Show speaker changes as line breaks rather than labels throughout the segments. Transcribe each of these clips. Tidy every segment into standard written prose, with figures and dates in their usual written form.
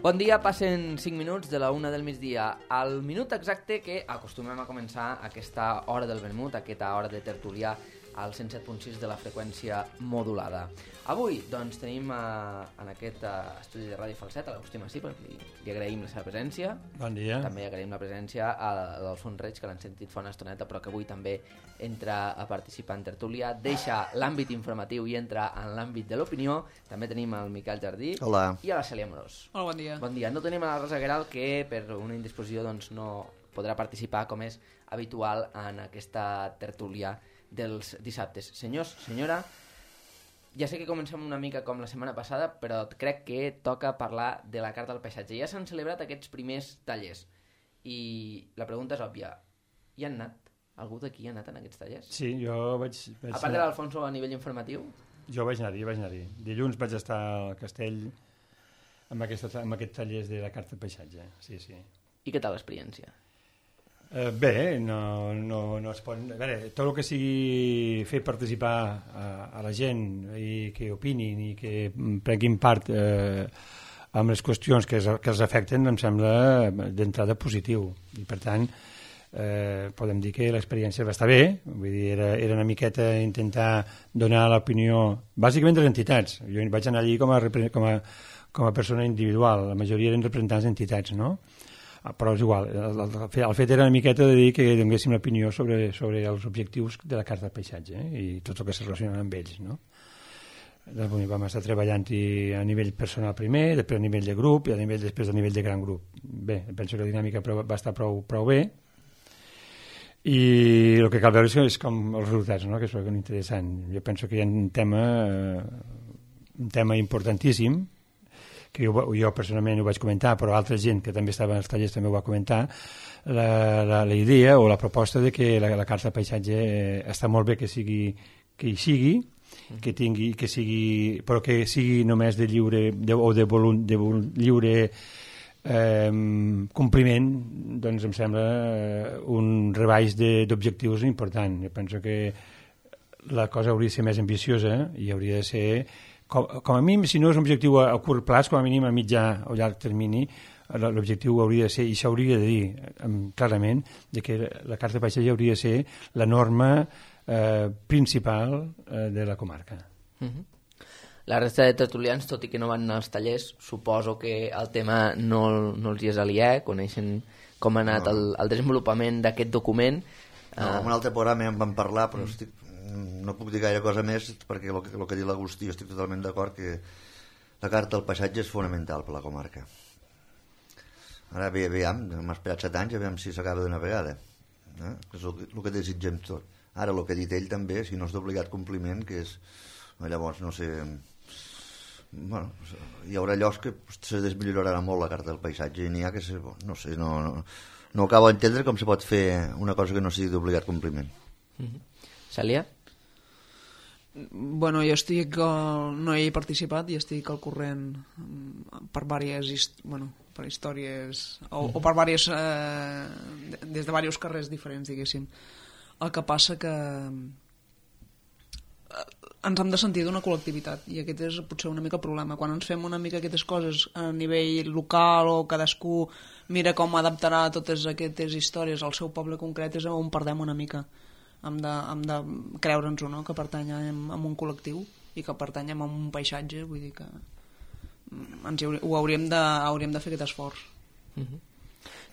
Bon dia, passen 5 minuts de la 1 del migdia. Al minut exacte que acostumem a començar aquesta hora del vermut, aquesta hora de tertulià al 107.6 de la freqüència modulada. Avui, doncs, tenim en aquest estudi de Ràdio Falset a l'Agustí Massí, perquè li agraïm la seva presència.
Bon dia.
També agraïm la presència a l'Alfons Reig, que l'han sentit fa una estoneta, però que avui també entra a participar en tertúlia, deixa l'àmbit informatiu i entra en l'àmbit de l'opinió. També tenim el Miquel Jardí.
Hola.
I a la Cèlia Amorós.
Hola, bon dia.
Bon dia. No tenim a la Rosa Guerral, que per una indisposició doncs, no podrà participar com és habitual en aquesta tertúlia dels dissabtes. Senyors, senyora, ja sé que comencem una mica com la setmana passada, però crec que toca parlar de la Carta del Paisatge. Ja s'han celebrat aquests primers tallers i la pregunta és òbvia. Hi han anat? Algú d'aquí ha anat en aquests tallers?
Sí, jo vaig
a part de l'Alfonso a nivell informatiu?
Jo vaig anar-hi. Dilluns vaig estar al Castell amb aquests tallers de la Carta del Paisatge. Sí.
I què tal l'experiència?
Bé, no es pot... A veure, tot el que sigui fer participar a la gent i que opinin i que prenguin part amb les qüestions que els afecten em sembla d'entrada positiu. I per tant, podem dir que l'experiència va estar bé, vull dir, era una miqueta intentar donar l'opinió bàsicament de les entitats. Jo vaig anar allí com a persona individual, la majoria eren representants d'entitats, no? Però és igual, el fet era una miqueta de dir que donéssim l'opinió sobre els objectius de la Carta del Paisatge i tot el que se relaciona amb ells, no? Doncs vam estar treballant-hi a nivell personal primer, després a nivell de grup i després a nivell de gran grup. Bé, penso que la dinàmica va estar prou bé i el que cal veure és com els resultats, no? Que és interessant. Jo penso que hi ha un tema importantíssim que jo personalment ho vaig comentar, però altra gent que també estava als tallers també ho va comentar, la idea o la proposta de que la Carta del Paisatge està molt bé que hi sigui, però que sigui només de lliure lliure compliment, doncs em sembla un rebaix d'objectius important. Jo penso que la cosa hauria de ser més ambiciosa i hauria de ser com a mínim, si no és un objectiu a curt plaç, com a mínim a mitjà o llarg termini, l'objectiu hauria de ser, i s'hauria de dir clarament, que la Carta de Paisatge hauria de ser la norma principal de la comarca.
La resta de tertulians, tot i que no van anar als tallers, suposo que el tema no els hi és aliè, coneixen com ha anat el desenvolupament d'aquest document.
En un altre programa ja en vam parlar, però no puc dir gaire cosa més perquè el que diu l'Agustí, jo estic totalment d'acord que la Carta del Paisatge és fonamental per la comarca. Ara veiem, hem esperat 7 anys, veiem si s'acaba d'una vegada, és el que desitgem tot. Ara el que ha dit ell també, si no és d'obligat compliment, que és, llavors no sé, bueno, hi haurà llocs que se desmillorarà molt la Carta del Paisatge i n'hi ha que no sé, no acabo d'entendre com se pot fer una cosa que no sigui d'obligat compliment.
Cèlia?
Bueno, jo no hi he participat i estic al corrent per per històries o per des de diversos carrers diferents, diguéssim. El que passa que ens hem de sentir d'una col·lectivitat i aquest és potser una mica el problema. Quan ens fem una mica aquestes coses a nivell local o cadascú mira com adaptarà totes aquestes històries al seu poble concret, és on perdem una mica. Hem de creure'ns-ho, no? Que pertanyem a un col·lectiu i que pertanyem a un paisatge, vull dir que hauríem de fer aquest esforç.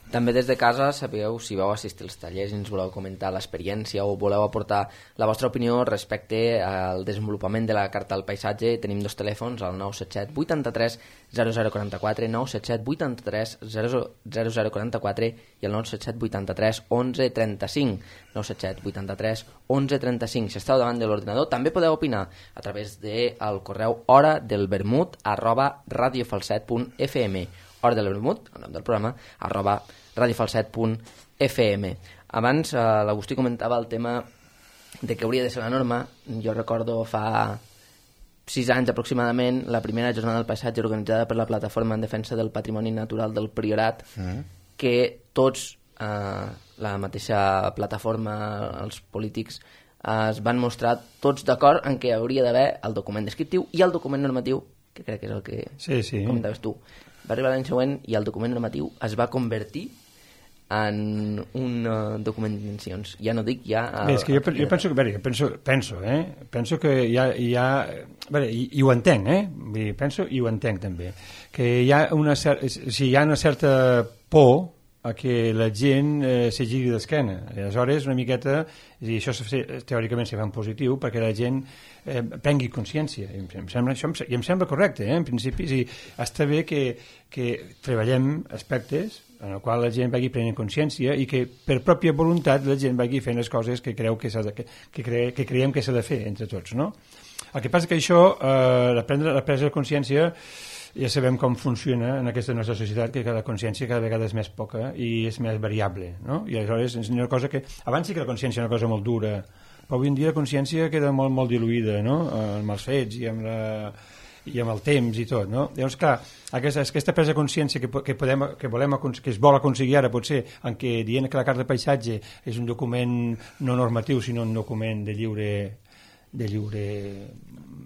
També des de casa sabeu si vau assistir als tallers i ens voleu comentar l'experiència o voleu aportar la vostra opinió respecte al desenvolupament de la Carta del Paisatge. Tenim 2 telèfons, el 977 83 0044, 977 83 0044 i el 977 83 11 35, 977 83 11 35. Si esteu davant de l'ordinador també podeu opinar a través del correu horadelvermut@radiofalset.fm, hora del vermut, el nom del programa, @radiofalset.fm. Abans l'Agustí comentava el tema de que hauria de ser la norma. Jo recordo fa 6 anys aproximadament la primera jornada del paisatge organitzada per la Plataforma en Defensa del Patrimoni Natural del Priorat, que tots, la mateixa plataforma, els polítics, es van mostrar tots d'acord en què hauria d'haver el document descriptiu i el document normatiu, que crec que és el que comentaves tu. Va arribar l'any següent i el document normatiu es va convertir en un document d'intencions. Ja no dic ja...
És que jo penso que hi ha i ho entenc, vull dir, penso i ho entenc també, que hi ha una certa por a que la gent se giri d'esquena. Aleshores, una miqueta, i això teòricament se fa en positiu, perquè la gent prengui consciència. I em sembla correcte, en principi. Està bé que treballem aspectes en el qual la gent vagi prenent consciència i que per pròpia voluntat la gent vagi fent les coses que creiem que s'ha de fer entre tots, no? El que passa que això, la presa de consciència, ja sabem com funciona en aquesta nostra societat, que la consciència cada vegada és més poca i és més variable, no? I aleshores és una cosa que... Abans sí que la consciència era una cosa molt dura, però avui en dia la consciència queda molt, molt diluïda, no? Amb els fets i amb el temps i tot, no? Llavors, clar, aquesta presa de consciència que es vol aconseguir ara, potser, en què dient que la carta de paisatge és un document no normatiu, sinó un document de lliure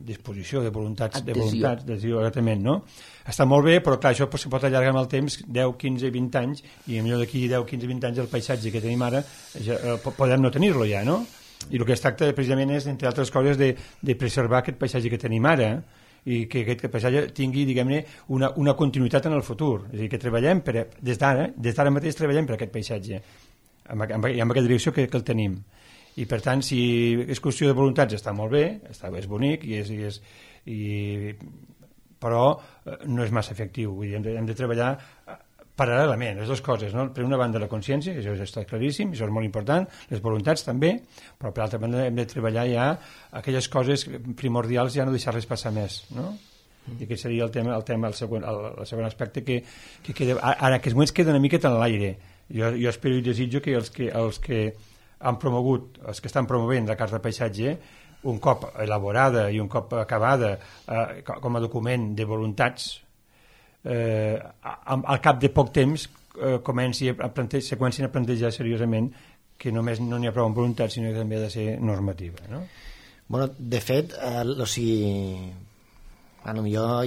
disposició, de voluntats, exactament, no? Està molt bé, però clar, això se pot allargar amb el temps 10, 15, 20 anys, i millor d'aquí 10, 15, 20 anys el paisatge que tenim ara podem no tenir-lo ja, no? I el que es tracta precisament és, entre altres coses, de preservar aquest paisatge que tenim ara, i que aquest paisatge tingui, diguem-ne, una continuïtat en el futur. És a dir, que treballem des d'ara mateix treballem per aquest paisatge, amb aquesta direcció que el tenim. I per tant, si és qüestió de voluntats, està molt bé, és bonic, però no és massa efectiu. Vull dir, hem de treballar paral·lelament, les dues coses, no? Per una banda la consciència, que això està claríssim, això és molt important, les voluntats també, però per l'altra banda hem de treballar ja aquelles coses primordials, ja no deixar-les passar més, no? I aquest seria el segon aspecte que queda, ara que els moments queden una miqueta en l'aire. Jo espero i desitjo que els que han promogut, els que estan promovent la carta de paisatge, un cop elaborada i un cop acabada com a document de voluntats, al cap de poc temps comencin a plantejar seriosament que només no n'hi ha prou amb voluntat, sinó que també ha de ser normativa, no?
Bueno, de fet, potser hi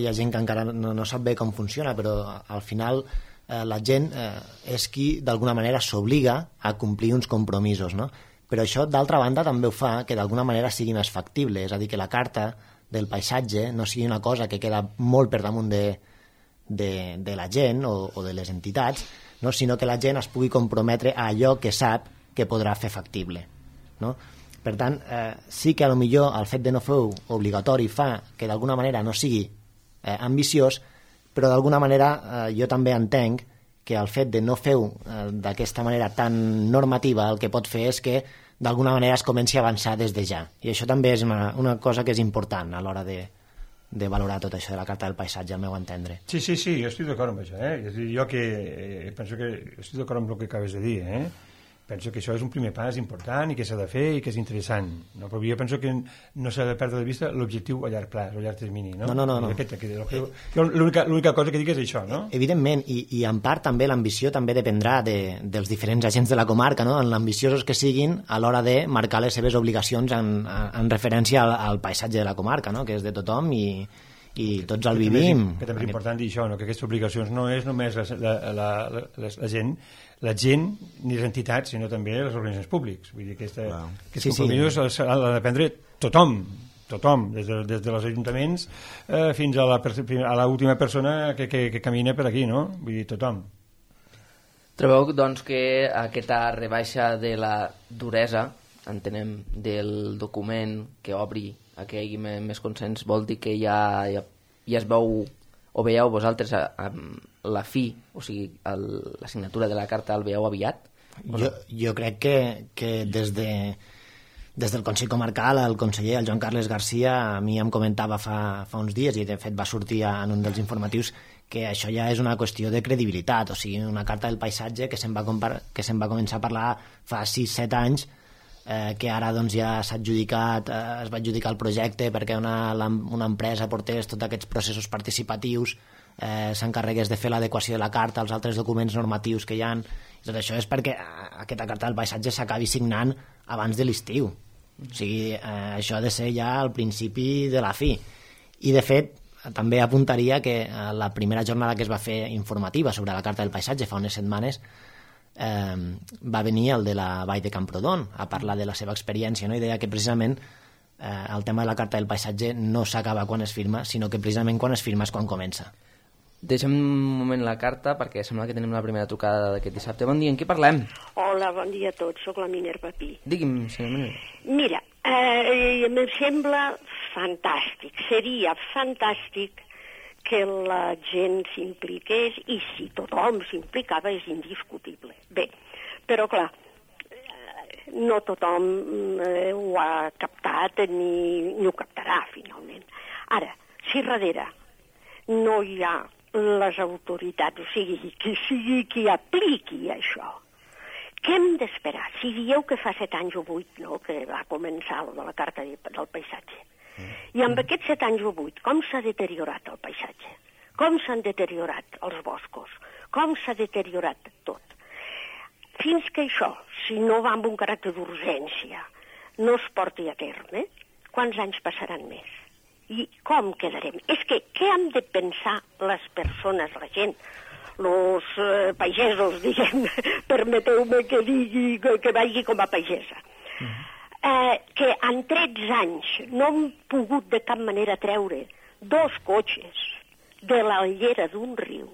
ha gent que encara no sap bé com funciona, però al final la gent és qui d'alguna manera s'obliga a complir uns compromisos, no? Però això d'altra banda també ho fa que d'alguna manera sigui més factible, és a dir, que la carta del paisatge no sigui una cosa que queda molt per damunt de la gent o de les entitats, no? Sinó que la gent es pugui comprometre a allò que sap que podrà fer factible, no? Per tant, sí que potser el fet de no fer-ho obligatori fa que d'alguna manera no sigui ambiciós, però d'alguna manera jo també entenc que el fet de no fer-ho d'aquesta manera tan normativa el que pot fer és que d'alguna manera es comenci a avançar des de ja, i això també és una cosa que és important a l'hora de valorar tot això de la carta del paisatge, al meu entendre.
Sí, jo estic d'acord amb això, És a dir, jo que penso que estic d'acord amb el que acabes de dir, Penso que això és un primer pas important i que s'ha de fer i que és interessant, no? Però jo penso que no s'ha de perdre de vista l'objectiu a llarg plaç, a llarg termini, no?
No.
L'única cosa que dic és això, no?
Evidentment, i en part també l'ambició també dependrà dels diferents agents de la comarca, no? En l'ambiciosos que siguin a l'hora de marcar les seves obligacions en referència al paisatge de la comarca, no? Que és de tothom i tots el vivim.
Que també és important dir això, no? Que aquestes obligacions no és només la gent ni les entitats, sinó també les organitzacions públics. Vull dir que aquests compromisos han de prendre tothom, des dels ajuntaments fins a l'última persona que camina per aquí, no? Vull dir, tothom.
Trobeu, doncs, que aquesta rebaixa de la duresa, entenem, del document que obri a que hi hagi més consens, vol dir que ja es veu, o veieu vosaltres la fi, o sigui, la signatura de la carta el veieu aviat?
Jo crec que des del Consell Comarcal el conseller, el Joan Carles Garcia, a mi em comentava fa uns dies, i de fet va sortir en un dels informatius, que això ja és una qüestió de credibilitat, o sigui, una carta del paisatge que se'n va començar a parlar fa 6-7 anys, que ara doncs, ja s'ha adjudicat, es va adjudicar el projecte perquè una empresa portés tots aquests processos participatius, s'encarregués de fer l'adequació de la carta als altres documents normatius que hi ha. Tot això és perquè aquesta carta del paisatge s'acabi signant abans de l'estiu. O sigui, això ha de ser ja al principi de la fi. I de fet, també apuntaria que la primera jornada que es va fer informativa sobre la Carta del Paisatge fa unes setmanes va venir el de la Vall de Camprodon a parlar de la seva experiència, no? I deia que precisament el tema de la Carta del Paisatge no s'acaba quan es firma, sinó que precisament quan es firma és quan comença.
Deixem un moment la carta perquè sembla que tenim la primera trucada d'aquest dissabte. Bon dia, en qui parlem?
Hola, bon dia a tots, sóc la Minerva Pi.
Digui'm, senyor Minerva.
Mira, em sembla fantàstic, seria fantàstic que la gent s'impliqués, i si tothom s'implicava és indiscutible. Bé, però clar, no tothom ho ha captat ni ho captarà finalment. Ara, si darrere no hi ha les autoritats, o sigui, qui sigui qui apliqui això, què hem d'esperar? Si dieu que fa 7 anys o 8, no?, que va començar lo de la Carta del Paisatge. I amb aquests 7 anys o 8, com s'ha deteriorat el paisatge? Com s'han deteriorat els boscos? Com s'ha deteriorat tot? Fins que això, si no va amb un caràcter d'urgència, no es porti a terme, quants anys passaran més? I com quedarem? És que què hem de pensar les persones, la gent, els pagesos, diguem, permeteu-me que digui, que vagi com a pagesa, que en 13 anys no han pogut de cap manera treure 2 cotxes de la llera d'un riu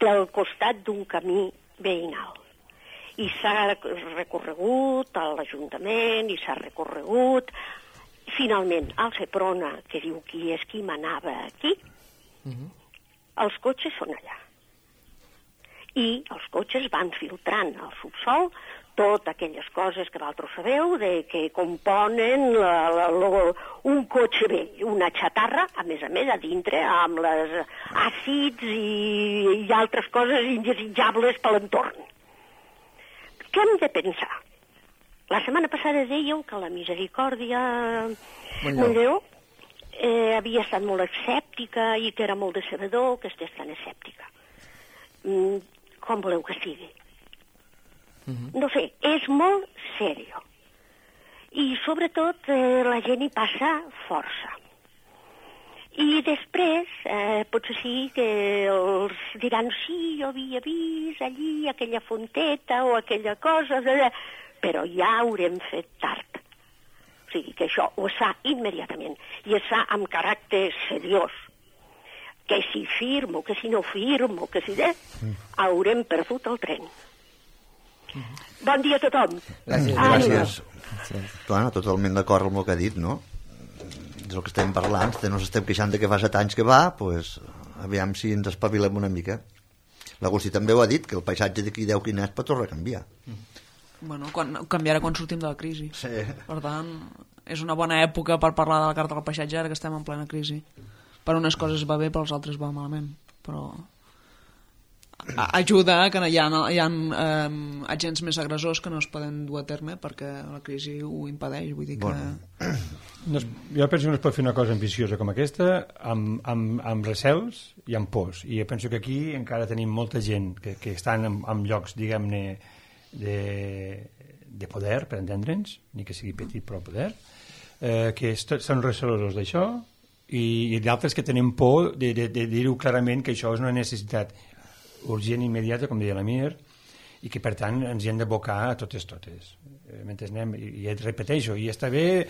del costat d'un camí veïnal. I s'ha recorregut a l'Ajuntament, i s'ha recorregut finalment al Seprona, que diu qui és qui manava aquí. Els cotxes són allà. I els cotxes van filtrant al subsol totes aquelles coses que vosaltres sabeu que componen un cotxe vell, una xatarra, a més, a dintre, amb les àcids i altres coses indesitjables per l'entorn. Què hem de pensar? La setmana passada dèieu que la Misericòrdia Montlleu havia estat molt escèptica i que era molt decebedor que estigués tan escèptica. Com voleu que sigui? No sé, és molt seriós. I sobretot la gent hi passa força. I després potser sí que els diran sí, jo havia vist allí aquella fonteta o aquella cosa, però ja haurem fet tard. O sigui que això ho fa immediatament i es fa amb caràcter seriós. Que si firmo, que si no firmo, que si haurem perdut el tren. Bon dia a tothom.
Gràcies. Clar, totalment d'acord amb el que ha dit, no? És el que estem parlant, no ens estem queixant de que fa 7 anys que va, doncs aviam si ens espavilem una mica. L'Agustí també ho ha dit, que el paisatge d'aquí 10 quinets pot tornar a canviar.
Bueno, canviarà quan sortim de la crisi.
Sí.
Per tant, és una bona època per parlar de la Carta del Paisatge ara que estem en plena crisi. Per unes coses va bé, per les altres va malament. Però ajuda que hi ha agents més agressors que no es poden dur a terme perquè la crisi ho impedeix. Vull dir que...
Jo penso que no es pot fer una cosa ambiciosa com aquesta amb recels i amb pors. I jo penso que aquí encara tenim molta gent que estan en llocs, diguem-ne, de poder, per entendre'ns, ni que sigui petit però poder, que són recelosos d'això i d'altres que tenen por de dir-ho clarament que això és una necessitat urgent i immediata, com deia la Mir, i que per tant ens hi hem d'abocar a totes. Mentre anem, i et repeteixo, i ja està bé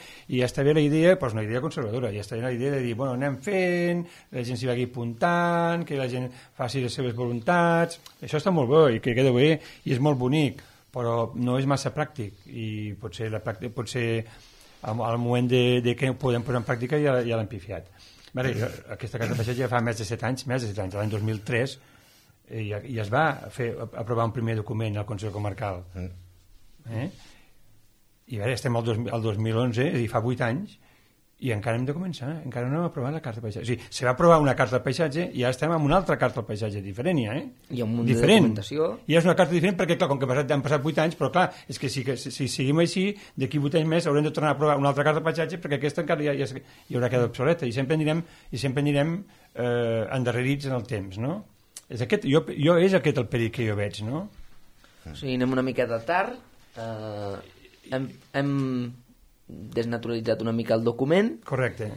la idea, doncs una idea conservadora, ja està bé la idea de dir, bueno, anem fent, la gent s'hi vagi apuntant, que la gent faci les seves voluntats, això està molt bé i que queda bé i és molt bonic, però no és massa pràctic i potser al moment de que ho podem posar en pràctica ja l'hem pifiat. Aquesta Carta de Paisatge ja fa més de 7 anys, l'any 2003, i es va aprovar un primer document al Consell Comarcal. I ara estem al 2011, és a dir, fa 8 anys, i encara hem de començar, encara no hem aprovat la Carta del Paisatge. O sigui, se va aprovar una Carta del Paisatge i ara estem amb una altra Carta del Paisatge diferent, ja,
I amb un munt de documentació.
I és una carta diferent perquè, clar, com que han passat 8 anys, però clar, és que si seguim així, d'aquí 8 anys més haurem de tornar a aprovar una altra Carta del Paisatge perquè aquesta encara ja haurà quedat obsoleta i sempre anirem endarrerits en el temps, no? És aquest el perill que jo veig, no?
O sigui, anem una miqueta tard, hem desnaturalitzat una mica el document.
Correcte.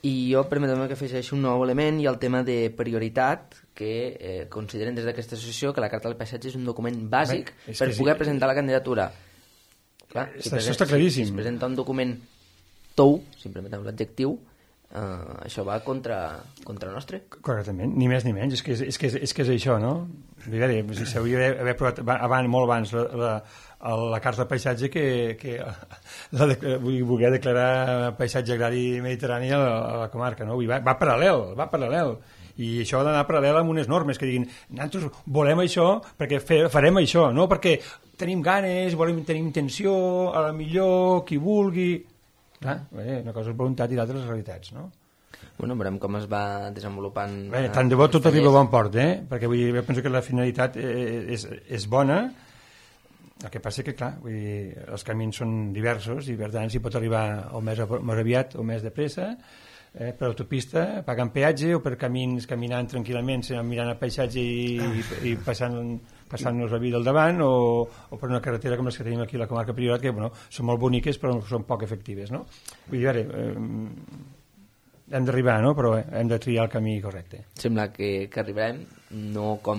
I jo permetem que afegeixi un nou element i el tema de prioritat, que consideren des d'aquesta associació que la Carta del Paisatge és un document bàsic per poder presentar la candidatura. Clar,
això està claríssim.
Si es presenta un document tou, si em permeteu l'adjectiu, això va contra el nostre.
Correctament, ni més ni menys, és que és això, no? Si s'hauria d'haver provat molt abans la Carta del Paisatge que voler declarar paisatge agrari mediterrani a la comarca, no? Va paral·lel, i això ha d'anar paral·lel amb unes normes que diguin, nosaltres volem això perquè farem això, no perquè tenim ganes, tenim intenció, a la millor, qui vulgui... Clar, una cosa és voluntat i l'altra les realitats, no?
Bueno, veurem com es va desenvolupant...
Tant de bo tot arriba a bon port, perquè jo penso que la finalitat és bona, el que passa que, clar, els camins són diversos i, per tant, s'hi pot arribar o més aviat o més de pressa, per autopista, pagant peatge, o per camins caminant tranquil·lament, mirant el paisatge i passant-nos la vida al davant, o per una carretera com les que tenim aquí a la comarca Priorat, que són molt boniques però són poc efectives, no? Vull dir, hem d'arribar, no? Però hem de triar el camí correcte.
Sembla que arribarem, no com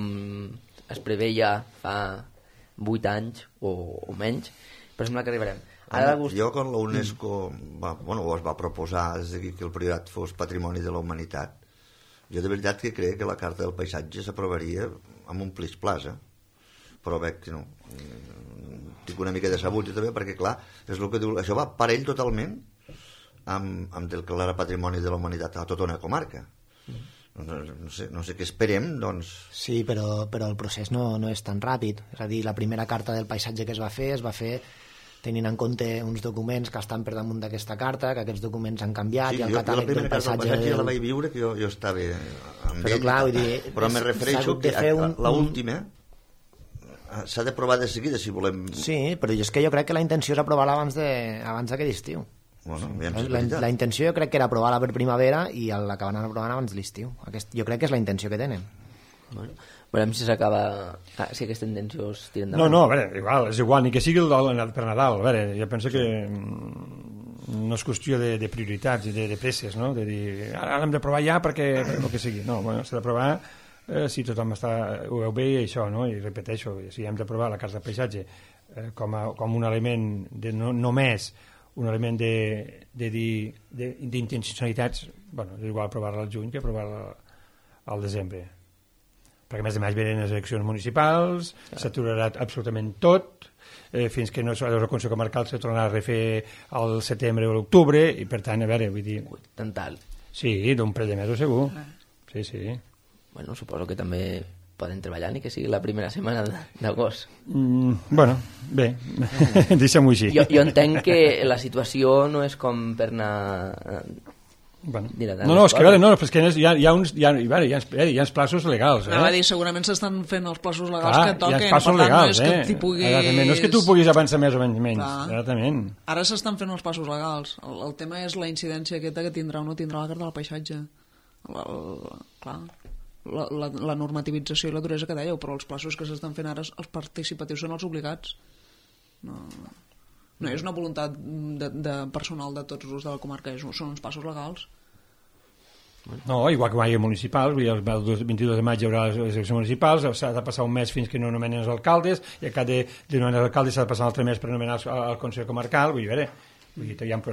es preveia fa 8 anys o menys, però sembla que arribarem.
Jo, quan la UNESCO es va proposar que el Priorat fos patrimoni de la humanitat, jo de veritat que crec que la Carta del Paisatge s'aprovaria amb un plis-plas, però veig que no. Tinc una mica de sabut també, perquè clar, és el que diu, això va parell totalment amb el que era patrimoni de la humanitat a tota una comarca. No sé què esperem, doncs...
Sí, però el procés no és tan ràpid. És a dir, la primera Carta del Paisatge que es va fer tenint en compte uns documents que estan per damunt d'aquesta carta, que aquests documents han canviat, i el catàleg del paisatge...
Sí, jo la vaig viure, que jo estava amb
però,
ell,
clar, vull dir,
però me refereixo que l'última s'ha d'aprovar de seguida, si volem...
Sí, però és que jo crec que la intenció és aprovar-la abans d'aquest estiu.
Bueno,
la intenció jo crec que era aprovar-la per primavera i l'acabaran aprovant abans de l'estiu. Jo crec que és la intenció que tenen.
Bueno, veurem si s'acaba, si aquesta intenció es tira endavant.
No, a veure, és igual, ni que sigui per Nadal. A veure, jo penso que no és qüestió de prioritats i de presses, no? De dir, ara hem d'aprovar ja perquè el que sigui. No, s'ha d'aprovar si tothom ho veu bé i això, no? I repeteixo, si hem d'aprovar la Carta del Paisatge com un element no només un element d'intencionalitats, és igual aprovar-la al juny que aprovar-la al desembre, perquè a més venen les eleccions municipals, s'aturarà absolutament tot, fins que no el Consell Comarcal se tornarà a refer al setembre o l'octubre, i per tant, a veure, vull dir...
Tant tal.
Sí, d'un parell de mesos segur. Sí.
Bueno, suposo que també poden treballar ni que sigui la primera setmana d'agost.
Bueno, bé, deixem-ho així.
Jo entenc que la situació no és com per anar...
No, és que a veure, és que hi ha uns plaços legals.
Anava a dir, segurament s'estan fent els plaços legals que toquen.
Hi ha plaços legals,
no és
que tu puguis avançar més o menys.
Ara s'estan fent els passos legals. El tema és la incidència aquesta que tindrà o no tindrà la Carta del Paisatge. Clar, la normativització i la duresa que dèieu, però els plaços que s'estan fent ara, els participatius són els obligats. No és una voluntat de personal de tots els de la comarca, són uns passos legals.
No, igual que mai municipals, el 22 de maig hi haurà les eleccions municipals, s'ha de passar un mes fins que no nomenen els alcaldes, i a cada de nomenar els alcaldes s'ha de passar un altre mes per nomenar el Consell Comarcal. Vull dir, hi ha un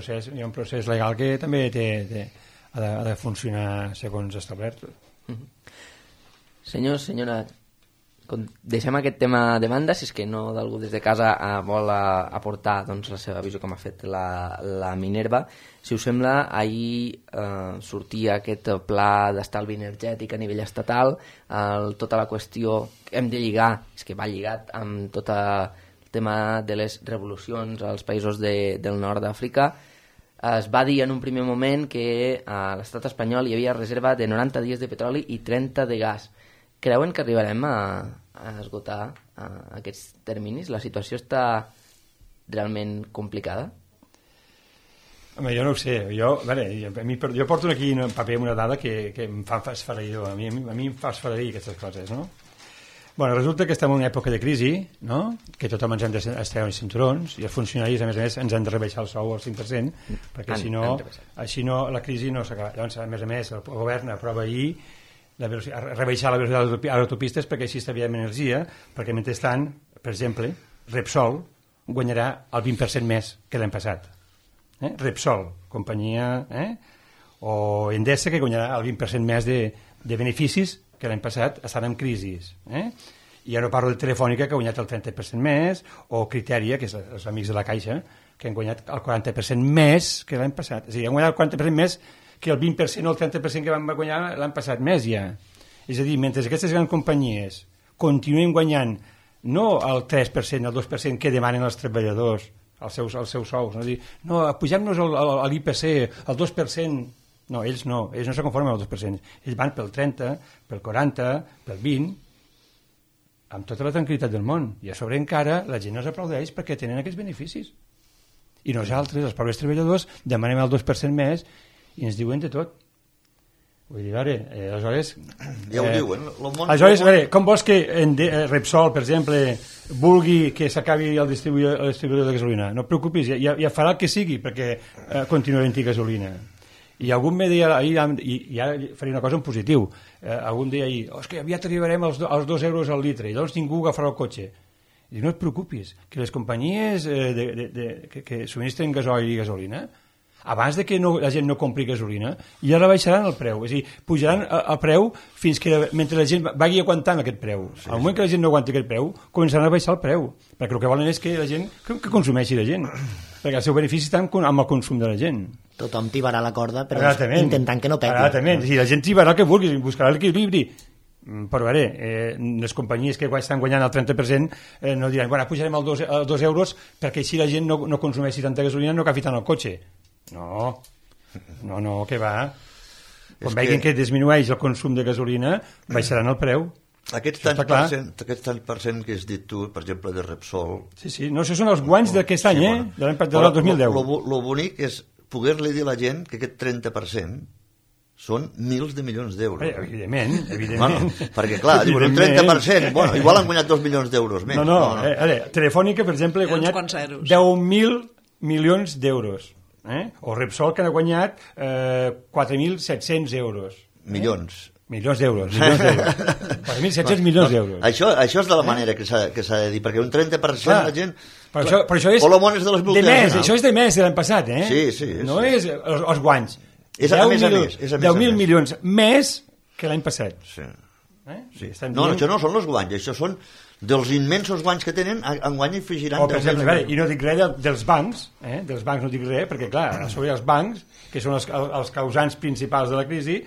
procés legal que també ha de funcionar segons establert.
Senyora, deixem aquest tema de banda, si és que no d'algú des de casa vol aportar la seva visió com ha fet la Minerva. Si us sembla, ahir sortia aquest pla d'estalvi energètic a nivell estatal, tota la qüestió que hem de lligar, és que va lligat amb tot el tema de les revolucions als països del nord d'Àfrica. Es va dir en un primer moment que a l'estat espanyol hi havia reserva de 90 dies de petroli i 30 de gas. Creuen que arribarem a esgotar aquests terminis? La situació està realment complicada?
Home, jo no ho sé. Jo porto aquí un paper amb una dada que em fa esfereïdor. A mi em fa esfereir aquestes coses, no? Bueno, resulta que estem en una època de crisi, no? Que tothom ens hem d'estreure els cinturons i els funcionaris, a més, ens han de rebaixar el sou al 5%, perquè així no la crisi no s'acaba. Llavors, a més, el govern aprova ahir rebaixar la velocitat a les autopistes perquè així estalviem energia, perquè mentrestant, per exemple, Repsol guanyarà el 20% més que l'any passat. Repsol, companyia, o Endesa, que guanyarà el 20% més de beneficis que l'any passat estan en crisi. I ja no parlo de Telefònica, que ha guanyat el 30% més, o Criteria, que és els amics de la Caixa, que han guanyat el 40% més que l'any passat. És a dir, han guanyat el 40% més que el 20% o el 30% que van guanyar l'any passat més ja. És a dir, mentre aquestes grans companyies continuen guanyant no el 3%, el 2% que demanen els treballadors, els seus sous, no? No, pugem-nos l'IPC, el 2%. No, ells no se conformen amb el 2%. Ells van pel 30, pel 40, pel 20, amb tota la tranquil·litat del món. I a sobre encara la gent els aplaudeix perquè tenen aquests beneficis. I nosaltres, els pobres treballadors, demanem el 2% més i ens diuen de tot. Vull dir, aleshores...
Ja ho diuen.
Aleshores, com vols que Repsol, per exemple, vulgui que s'acabi el distribuïdor de gasolina? No et preocupis, ja farà el que sigui perquè continuï havent-hi gasolina. I algun me deia ahir, i ara faré una cosa en positiu, algun dia ahir, és que aviat arribarem als 2 euros al litre, i llavors ningú agafarà el cotxe. I no et preocupis, que les companyies que subministren gasoil i gasolina, abans de que la gent no compri gasolina, ja la baixaran el preu, és a dir, pujaran el preu fins que mentre la gent vagi aguantant aquest preu. Al moment que la gent no aguanti aquest preu, començaran a baixar el preu, perquè el que volen és que la gent que consumeixi la gent, perquè el seu benefici està amb el consum de la gent.
Tothom tibarà la corda, però intentant que no peti.
Exactament, la gent tibarà el que vulgui, buscarà l'equilibri. Però les companyies que estan guanyant el 30% no diran, bueno, pujarem els 2 euros perquè així la gent no consumeixi tanta gasolina, no agafi tant el cotxe. No, que va. Quan veguin que disminueix el consum de gasolina, baixaran el preu.
Aquests tants per cent que has dit tu, per exemple, de Repsol...
Sí, no, això són els guanys d'aquest any, de l'any 2010.
Lo bonic és poder-li dir a la gent que aquest 30% són milers de milions d'euros.
Evidentment.
Bueno, perquè, clar, diuen un 30%, bueno, igual han guanyat 2 milions d'euros més.
No. Telefònica, per exemple, ha guanyat 10.000 milions d'euros. O Repsol, que ha guanyat 4.700 euros.
Milions
d'euros. 4.700 milions d'euros.
Això és de la manera que s'ha de dir, perquè un 30% la gent...
Però això és de més, això és de més de l'any passat,
Sí.
No és els guanys.
És a més a més.
10.000 milions més que l'any passat.
Sí. No, això no són els guanys, això són dels immensos guanys que tenen, enguany hi afegiran...
Per exemple, i no dic res dels bancs, no dic res, perquè clar, sobre els bancs, que són els causants principals de la crisi,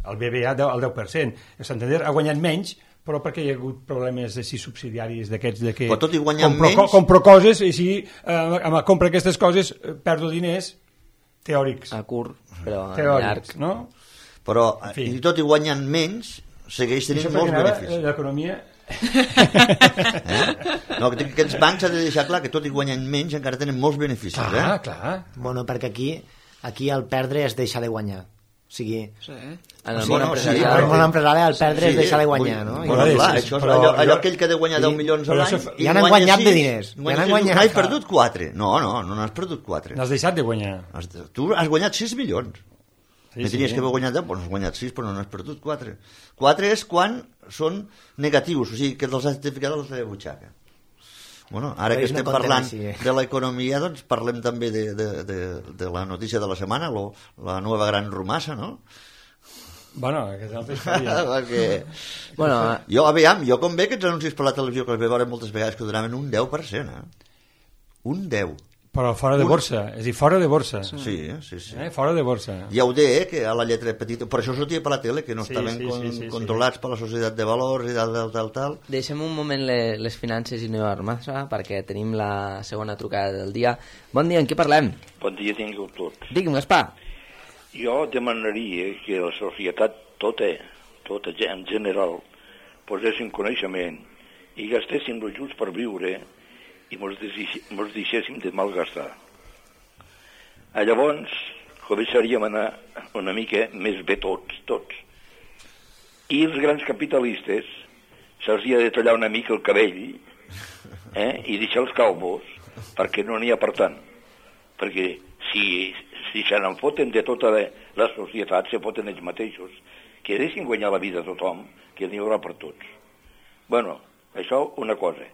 el BBVA el 10%. El Santander ha guanyat menys, però perquè hi ha hagut problemes subsidiaris d'aquests de que compro coses i si compro aquestes coses perdo diners teòrics.
A curt, però a
llarg. No?
Però, i tot i guanyant menys, segueix tenint molts beneficis.
L'economia...
No, que aquests bancs s'ha de deixar clar que tot i guanyant menys encara tenen molts beneficis.
Clar.
Bueno, perquè aquí el perdre es deixa de guanyar. O sigui,
en el món empresarial
el perdre es deixa de guanyar, no?
Bueno, clar, això és allò aquell que ha de guanyar 10 milions a l'any
ja n'han guanyat de diners.
N'has perdut 4. No n'has perdut 4.
N'has deixat de guanyar.
Tu has guanyat 6 milions. Tenies que haver guanyat 10, doncs has guanyat 6, però no n'has perdut 4. 4 és quan són negatius, o sigui, que te'ls has ficat a la teva butxaca. Bueno, ara que estem parlant de l'economia, doncs parlem també de la notícia de la setmana, la nova gran romassa, no?
Bueno, que és altra història.
Jo com veig aquests anuncis per la televisió, que els veig moltes vegades, que donaven un 10%, Un 10%.
Però fora de borsa, és a dir, fora de borsa.
Sí.
Fora de borsa.
Ja ho deia, que a la lletra petita... Per això sortia per la tele, que no estaven controlats per la societat de valors i tal.
Deixem un moment les finances i no massa, perquè tenim la segona trucada del dia. Bon dia, en què parlem?
Bon dia, tingueu tots.
Digue'm, Gaspar.
Jo demanaria que la societat tota en general, posessin coneixement i gastéssim els ajuts per viure i mos deixéssim de malgastar. Llavors començaríem a anar una mica més bé tots. I els grans capitalistes se'ls ha de tallar una mica el cabell i deixar els calvos, perquè no n'hi ha per tant. Perquè si se n'en foten de tota la societat, se foten ells mateixos, que deixin guanyar la vida a tothom, que n'hi haurà per tots. Bueno, això una cosa.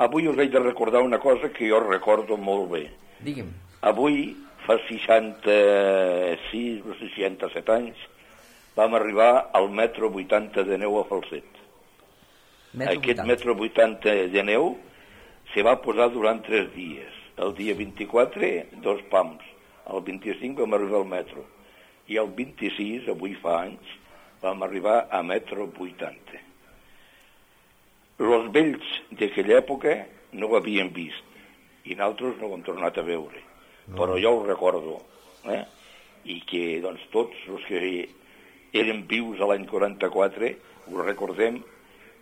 Avui us he de recordar una cosa que jo recordo molt bé.
Digue'm.
Avui, fa 66 o 67 anys, vam arribar al metro 80 de neu a Falset. Aquest metro 80 de neu se va posar durant 3 dies. El dia 24, 2 pams. El 25 vam arribar al metro. I el 26, avui fa anys, vam arribar a metro 80. Els vells d'aquella època no ho havien vist. I nosaltres no ho hem tornat a veure. No. Però jo ho recordo. I que doncs, tots els que eren vius a l'any 44 ho recordem,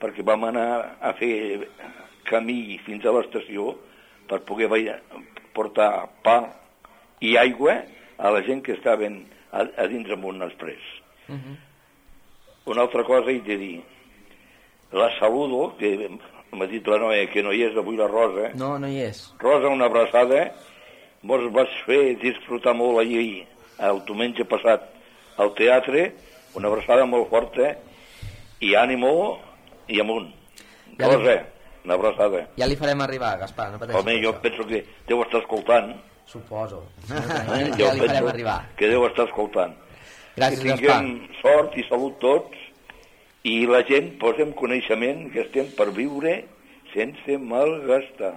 perquè vam anar a fer camí fins a l'estació per poder portar pa i aigua a la gent que estaven a dins amunt exprés. Una altra cosa he de dir. La saludo, que m'ha dit la noia que no hi és avui la Rosa.
No, no hi és.
Rosa, una abraçada. Mos vas fer disfrutar molt ahir, el diumenge passat, al teatre. Una abraçada molt forta i ànimo i amunt. Rosa, una abraçada.
Ja li farem arribar, Gaspar, no pateixis.
Home, jo penso que deu estar escoltant.
Suposo.
Ja li farem arribar. Que deu estar escoltant.
Gràcies,
que tinguem sort i salut tots i la gent posem coneixement que estem per viure sense malgastar.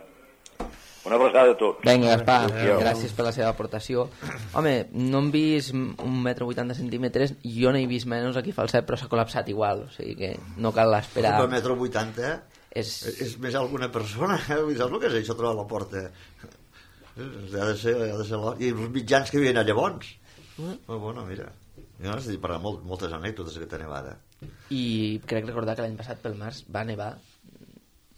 Una abraçada a tots.
Vinga, Gaspar, gràcies per la seva aportació. Home, no hem vist 1,80 m, jo no he vist menys aquí Falset, però s'ha col·lapsat igual, o sigui que no cal esperar.
Per 1,80 m és més alguna persona, saps el que és això, trobar la porta? Ha de ser I els mitjans que havien allà bons. Però bueno, mira, jo no sé dir per moltes anècdotes aquesta nevada.
I crec recordar que l'any passat pel març va nevar,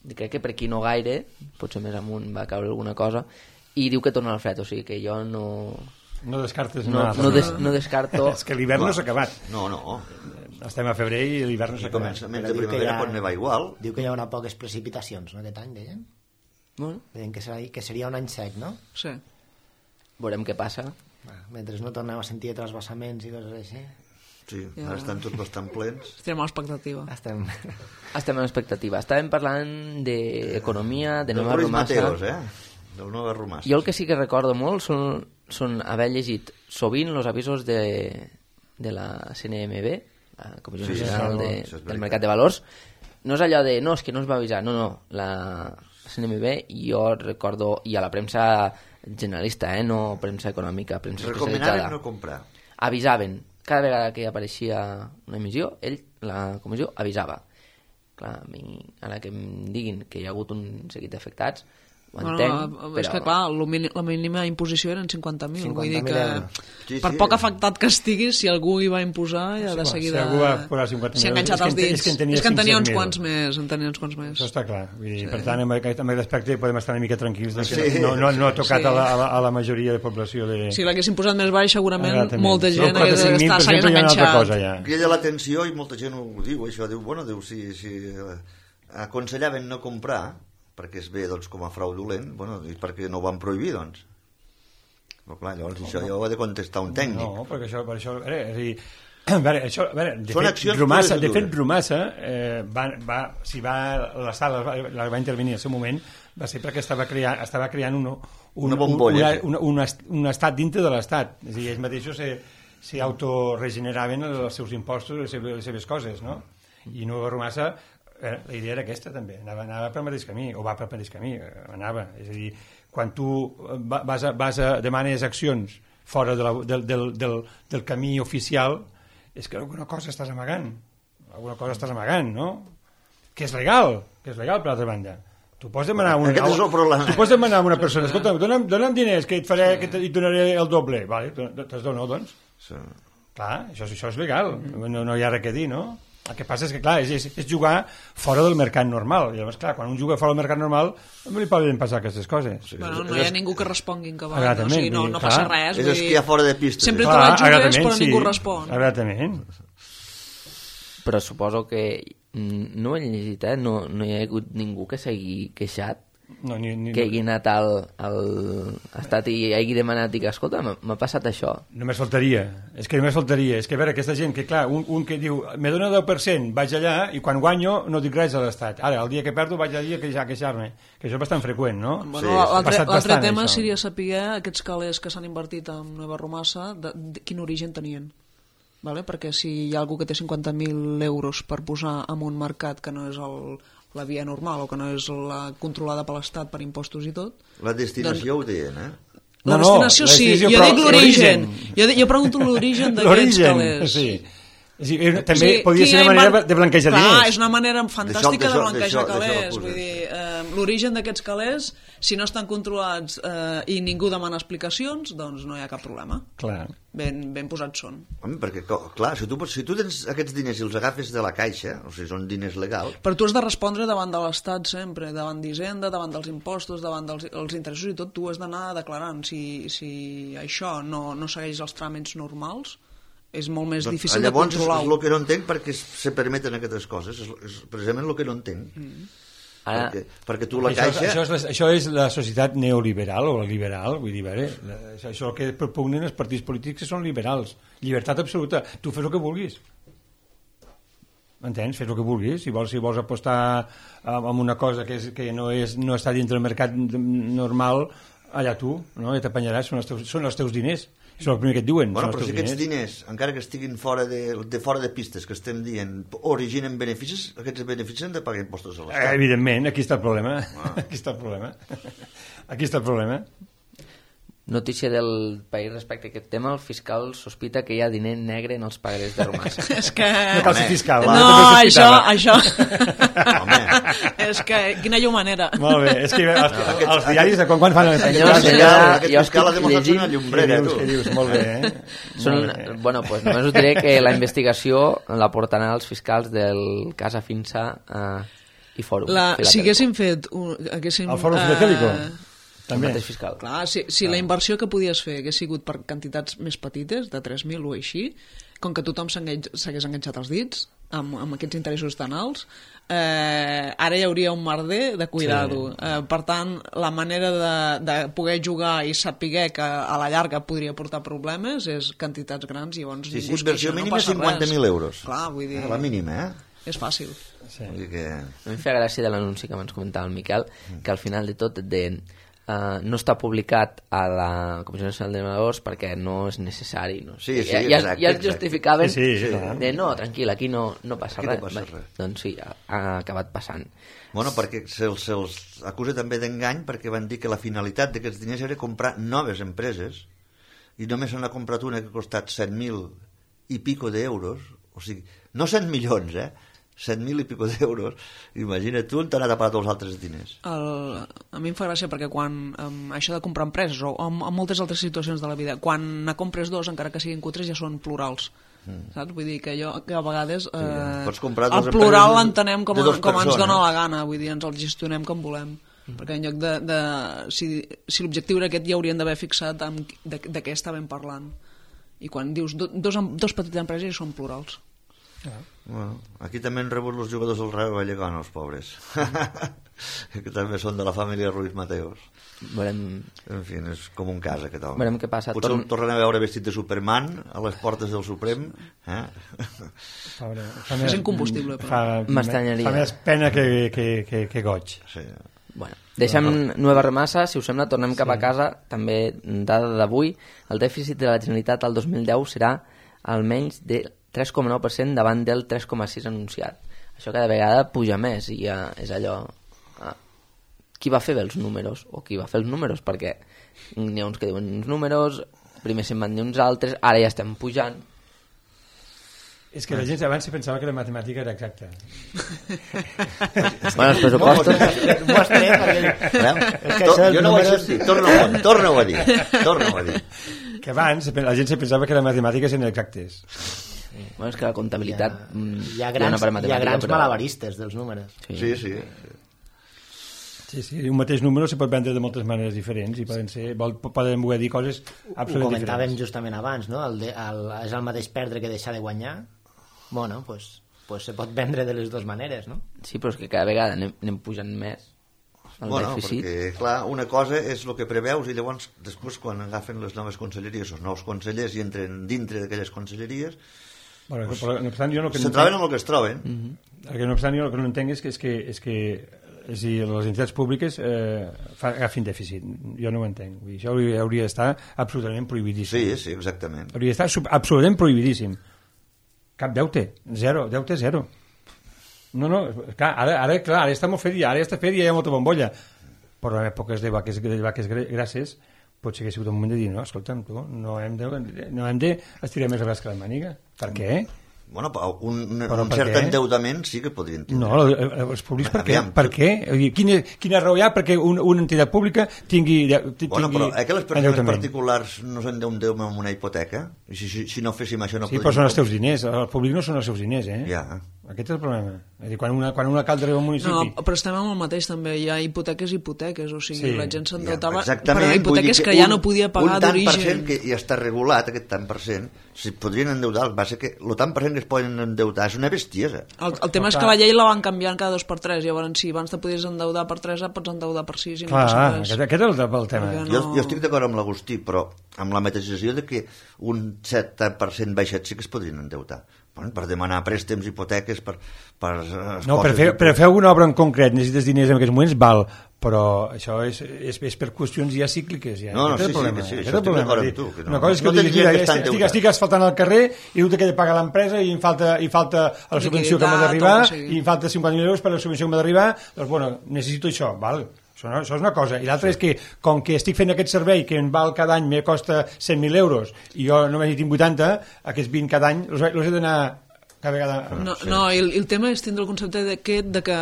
crec que per aquí no gaire, potser més amunt va caure alguna cosa, i diu que torna al fred, o sigui que jo no...
No descartes
no descarto...
És que l'hivern no s'ha acabat.
No.
Estem a febrer i l'hivern no s'ha acabat.
Començament de primavera pot nevar igual.
Diu que hi haurà poques precipitacions, no, aquest any, deien?
Bueno.
Deien que seria un any sec, no?
Sí.
Veurem què passa.
Mentre no tornem a sentir trasbassaments i coses així.
Sí, ara estan tots bastant plens.
Estem a l'expectativa.
Estem en expectativa. Estàvem parlant d'economia, de Nova
Ruiz
Romassa.
Mateos, del Nova Romassa.
Jo el que sí que recordo molt són haver llegit sovint els avisos de la CNMV, la Comissió Nacional del Mercat de Valors. No és allò de, no, és que no es va avisar. No, la CNMV, jo recordo, i a la premsa generalista, no premsa econòmica, premsa especialitzada.
Recomanaven no comprar.
Avisaven. Cada vegada que apareixia una emissió, la comissió avisava. Clar, a la que em diguin que hi ha hagut un seguit d'afectats, ho entenc, però...
És que clar, la mínima imposició eren 50.000, vull dir que per
sí.
poc afectat que estigui, si algú hi va imposar ja de seguida...
Si algú va posar 50.000,
s'ha enganxat els dits. És que en tenia uns quants més.
Això està clar. Vull dir, per tant, amb aquest aspecte podem estar una mica tranquils que no ha tocat a la majoria de població de...
Si l'haguessin posat més baix, segurament molta gent s'hagués enganxat.
Crida l'atenció i molta gent ho diu, això, diu, si aconsellaven no comprar perquè es ve doncs, com a fraudulent, i perquè no ho van prohibir, doncs. Però clar, llavors això ja ho ha de contestar un tècnic.
No, perquè això de fet, Romassa, si l'Estat va intervenir en el seu moment, va ser perquè estava creant
una bombolla,
un estat dintre de l'Estat. És a dir, ells mateixos s'hi autoregeneraven els seus impostos, les seves coses, no? I Nova Romassa... la idea era aquesta també, anava pel mateix camí o va pel mateix camí, és a dir, quan tu demanes accions fora del camí oficial, és que alguna cosa estàs amagant, no? Que és legal per l'altra banda. Tu pots demanar a una persona, escolta, dona'm diners que et donaré el doble, vale, te'ls dono, doncs. Clar, això és legal, no hi ha res que dir, no? El que passa és que, clar, és jugar fora del mercat normal. I llavors, clar, quan un juga fora del mercat normal no li poden passar aquestes coses.
Bueno, no hi ha ningú que respongui en cabal, o sigui, no passa res.
És esquiar fora de pista.
Sempre te la jugues, però ningú respon.
Exactament.
Però suposo que no ho he llegit, no hi ha hagut ningú que s'hagi queixat,
No,
que hagi anat al estat i hagi demanat i que, escolta, m'ha passat això.
Només faltaria. És que només faltaria. És que, a veure, aquesta gent que, clar, un que diu me dona 10%, vaig allà i quan guanyo no dic res a l'Estat. Ara, el dia que perdo vaig allà a queixar-me. Que això és bastant freqüent, no?
Bueno, l'altre tema seria saber aquests calés que s'han invertit en Nova Romassa, de quin origen tenien. Vale? Perquè si hi ha algú que té 50.000 euros per posar en un mercat que no és la via normal o que no és la controlada per l'Estat per impostos i tot...
La destinació ho deien,
La destinació sí, jo dic l'origen. Jo pregunto l'origen d'aquests calés.
Sí. També podria ser una manera de blanquejar diners.
Clar, és una manera fantàstica de blanquejar calés. Vull dir, l'origen d'aquests calés, si no estan controlats i ningú demana explicacions, doncs no hi ha cap problema.
Clar.
Ben posats són.
Home, perquè, clar, si tu tens aquests diners i els agafes de la caixa, o sigui, són diners legals...
Però tu has de respondre davant de l'Estat sempre, davant d'Hisenda, davant dels impostos, davant dels interessos i tot, tu has d'anar declarant. Si això no segueix els tràmits normals, és molt més difícil de controlar.
Llavors és el que no entenc perquè se permeten aquestes coses, és precisament el que no entenc.
Ara,
perquè tu la caixa...
Això és la societat neoliberal o la liberal, vull dir, això que propugnen els partits polítics que són liberals, llibertat absoluta, tu fes el que vulguis, m'entens? Fes el que vulguis, si vols apostar en una cosa que no està dintre del mercat normal, allà tu, no? Ja t'apanyaràs, són els teus diners. Això és el primer que et diuen.
Bueno, però si aquests diners, encara que estiguin fora de pistes, que estem dient, originen beneficis, aquests beneficis han de pagar impostos a l'Estat.
Evidentment, aquí està el problema. Aquí està el problema.
Notícia del País respecte a aquest tema: el fiscal sospita que hi ha diner negre en els pagarés de Romassa.
És que...
No cal ser fiscal.
No, això... Home. És que quina llumanera.
Molt bé, és que els diaris de quan fan...
Aquest fiscal ha demostrat una llumbrera, tu.
Què dius? Molt bé,
Bueno, pues només us diré que la investigació la portaran els fiscals del cas Afinsa i Fòrum.
Si haguéssim fet...
El Fòrum Filatélico?
També. El mateix fiscal.
Clar, si la inversió que podies fer hagués sigut per quantitats més petites, de 3.000 o així, com que tothom s'hagués enganxat els dits amb aquests interessos tan alts, ara hi hauria un merder de cuidado. Sí. Per tant, la manera de poder jugar i saber que a la llarga podria portar problemes és quantitats grans i llavors
ningú es queixa, no passa res. Inversió mínima 50.000 euros.
Clar, vull dir...
A la mínima,
És fàcil.
Sí.
A mi em feia gràcia de l'anunci que abans comentava el Miquel, que al final de tot et deien no està publicat a la Comissió Nacional de Menadors perquè no és necessari. No?
Sí,
ja es justificaven
de
no, tranquil, aquí no passa res. Doncs sí, ha acabat passant.
Bueno, perquè se'ls acusa també d'engany perquè van dir que la finalitat d'aquests diners era comprar noves empreses i només se n'ha comprat una que ha costat 7.000 i pico d'euros, o sigui, no 100 milions, 7.000 i pico d'euros. Imagina't tu on t'ha anat a parar tots els altres diners.
A mi em fa gràcia perquè quan això de comprar empreses o en moltes altres situacions de la vida, quan ne compres dos, encara que siguin cutres, ja són plurals. Saps? Vull dir que a vegades el plural l'entenem com ens dona la gana, vull dir, ens el gestionem com volem. Perquè en lloc de si l'objectiu era aquest, ja haurien d'haver fixat de què estàvem parlant. I quan dius dos petites empreses són plurals.
Bueno, aquí també han rebut els jugadors del Rayo Vallecano, els pobres, que també són de la família Ruiz Mateos. En fi, és com un cas aquest home.
Veurem què passa.
Potser el tornem a veure vestit de Superman a les portes del Suprem.
És incombustible, però
m'estranyaria.
Fa més pena que goig.
Sí.
Bueno, deixem Nova Romassa, si us sembla tornem cap a casa. També, dada d'avui, el dèficit de la Generalitat al 2010 serà almenys de 3,9% davant del 3,6% anunciat. Això cada vegada puja més i ja és allò... Qui va fer bé els números? O qui va fer els números? Perquè n'hi ha uns que diuen uns números, primer se'n van dir uns altres, ara ja estem pujant.
És que la gent abans se pensava que la matemàtica era exacta.
Bueno, els pressupostos...
Jo no ho vaig dir, torna-ho a dir.
Que abans la gent se pensava que les matemàtiques eren exactes.
Bueno, és que la comptabilitat...
Hi ha grans malabaristes dels números.
Sí.
Un mateix número se pot vendre de moltes maneres diferents i poden voler dir coses absolutament diferents.
Ho comentàvem justament abans, no? És el mateix perdre que deixar de guanyar. Bueno, doncs pues se pot vendre de les dues maneres, no?
Sí, però és que cada vegada anem pujant més el dèficit.
Perquè, clar, una cosa és el que preveus i llavors, després, quan agafen les noves conselleries, els nous consellers i entren dintre d'aquelles conselleries,
Però no obstant, jo
se troben amb el que es troben.
No obstant, jo el que no entenc és que les entitats públiques agafin dèficit. Jo no ho entenc. Vull dir, això hauria d'estar absolutament prohibidíssim.
Sí, exactament.
Hauria d'estar absolutament prohibidíssim. Cap deute. Deute zero. No, clar, ara està molt fet i ara està fet i hi ha molta bombolla. Però en èpoques de vaques grasses potser que ha sigut un moment de dir, no, escolta'm, tu, no hem de estirar més el braç que la màniga. Per què?
Bueno, un cert endeutament sí que podrien tenir.
No, els públics per què? Per què? Quina raó hi ha perquè una entitat pública tingui
bueno, però que les persones particulars no s'endeuten amb una hipoteca? Si no féssim això no
podríem... Sí, però són els teus diners, el públic no són els seus diners,
Ja.
Aquest és el problema. És a dir, quan un alcalde arriba a un municipi...
No, però estem amb el mateix també, hi ha hipoteques, o sigui, la gent s'endeutava
per
hipoteques que ja no podia pagar d'origen.
Un tant per cent que ja està regulat, aquest tant per cent, si podrien endeutar, el que passa que el tant per cent que es poden endeutar és una bestiesa.
El tema és que la llei la van canviant cada 2x3, llavors si abans te podies endeudar per 3, pots endeudar per 6 i no passa res.
Aquest és el tema.
Jo estic d'acord amb l'Agustí, però amb la matisació de que un 7% baixet sí que es podrien endeutar. Per demanar préstecs, hipoteques,
no, per fer alguna obra en concret necessites diners en aquests moments, val, però això és per qüestions ja cícliques. Ja.
No, sí, això estic d'acord amb tu.
Una cosa és que estic asfaltant el carrer i el que he de pagar l'empresa i em falta la subvenció que m'ha d'arribar i em falta 50.000 euros per la subvenció que m'ha d'arribar, doncs bueno, necessito això, val? Això és una cosa. I l'altra és que, com que estic fent aquest servei que em val cada any, me costa 100.000 euros i jo només hi tinc 80, aquests 20 cada any els he d'anar cada vegada...
No, el tema és tindre el concepte de que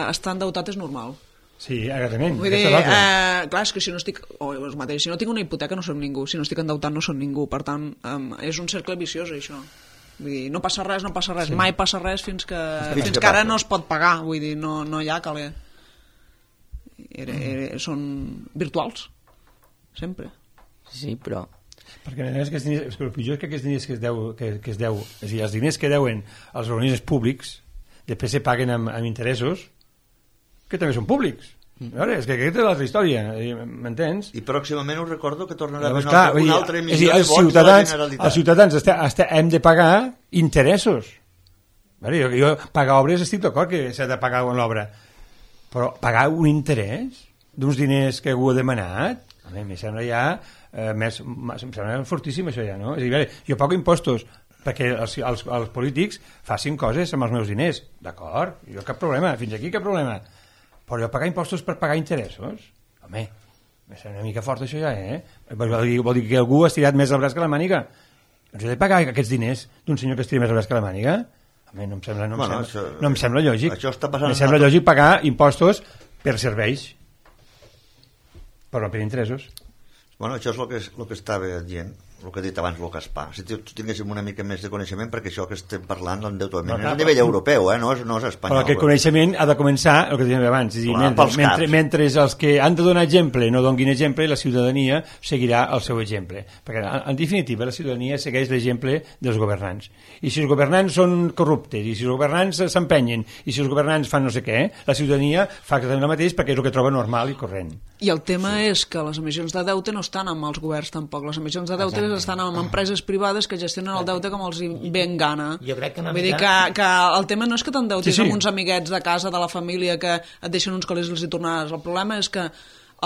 estar endeutat és normal.
Sí, exactament.
Vull dir, clar, és que si no estic... si no tinc una hipoteca no som ningú, si no estic endeutat no som ningú, per tant, és un cercle viciós, això. Vull dir, no passa res, sí. Mai passa res fins que ara no es pot pagar, vull dir, no hi ha caler. Són virtuals sempre.
Sí, però
perquè el pitjor és que aquests diners que es deu, és a dir, els diners que deuen als organismes públics després se paguen amb interessos que també són públics. És que aquesta és l'altra història, m'entens?
I pròximament us recordo que tornarà a haver una altra emissió de vots
de la Generalitat. Els ciutadans hem de pagar interessos. Jo pagar obres estic d'acord que s'ha de pagar l'obra, però pagar un interès d'uns diners que algú ha demanat, a mi em sembla ja em sembla fortíssim això ja, no? És a dir, jo pago impostos perquè els polítics facin coses amb els meus diners, d'acord, jo cap problema, fins aquí cap problema, però jo pagar impostos per pagar interessos, home, em sembla una mica fort això ja, vol dir que algú ha estirat més el braç que la màniga. Doncs he de pagar aquests diners d'un senyor que estira més el braç que la màniga? No em sembla lògic. Em sembla lògic pagar impostos per serveis, però per interessos.
Bueno, això és el que estava dient, el que ha dit abans el Gaspar. Si tinguéssim una mica més de coneixement, perquè això que estem parlant l'endeutament és a nivell europeu, no és espanyol.
Però aquest coneixement ha de començar, el que dèiem abans, és a dir, mentre els que han de donar exemple no donguin exemple, la ciutadania seguirà el seu exemple. Perquè, en definitiva, la ciutadania segueix l'exemple dels governants. I si els governants són corruptes, i si els governants s'empenyen, i si els governants fan no sé què, la ciutadania fa exactament el mateix perquè és el que troba normal i corrent.
I el tema és que les emissions de deute no estan amb els governs tampoc, les emissions de deute estan amb empreses privades que gestionen el deute com els ben gana.
Jo crec que
vull dir que el tema no és que t'endeutis amb uns amiguets de casa, de la família, que et deixen uns calés i els hi tornaràs. El problema és que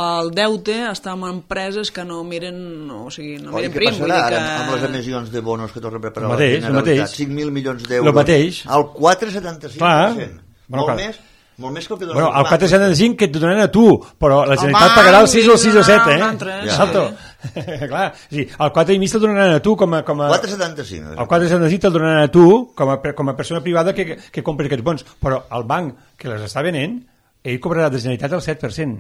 el deute està amb empreses que no miren, no miren prim.
Què passarà ara amb les emissions de bonos que tornen a preparar
la Generalitat?
5.000 milions d'euros. El 4,75%. Molt més que el que donen
el 4,75 que et donaran a tu, però la Generalitat pagarà el 6 o el 6 o 7, Exacto. Clar, sí, el 4,5 te'l donaran a tu com a...
4,75.
El 4,75 te'l donaran a tu com a persona privada que compres aquests bons, però el banc que les està venent, ell cobrarà de Generalitat el 7%.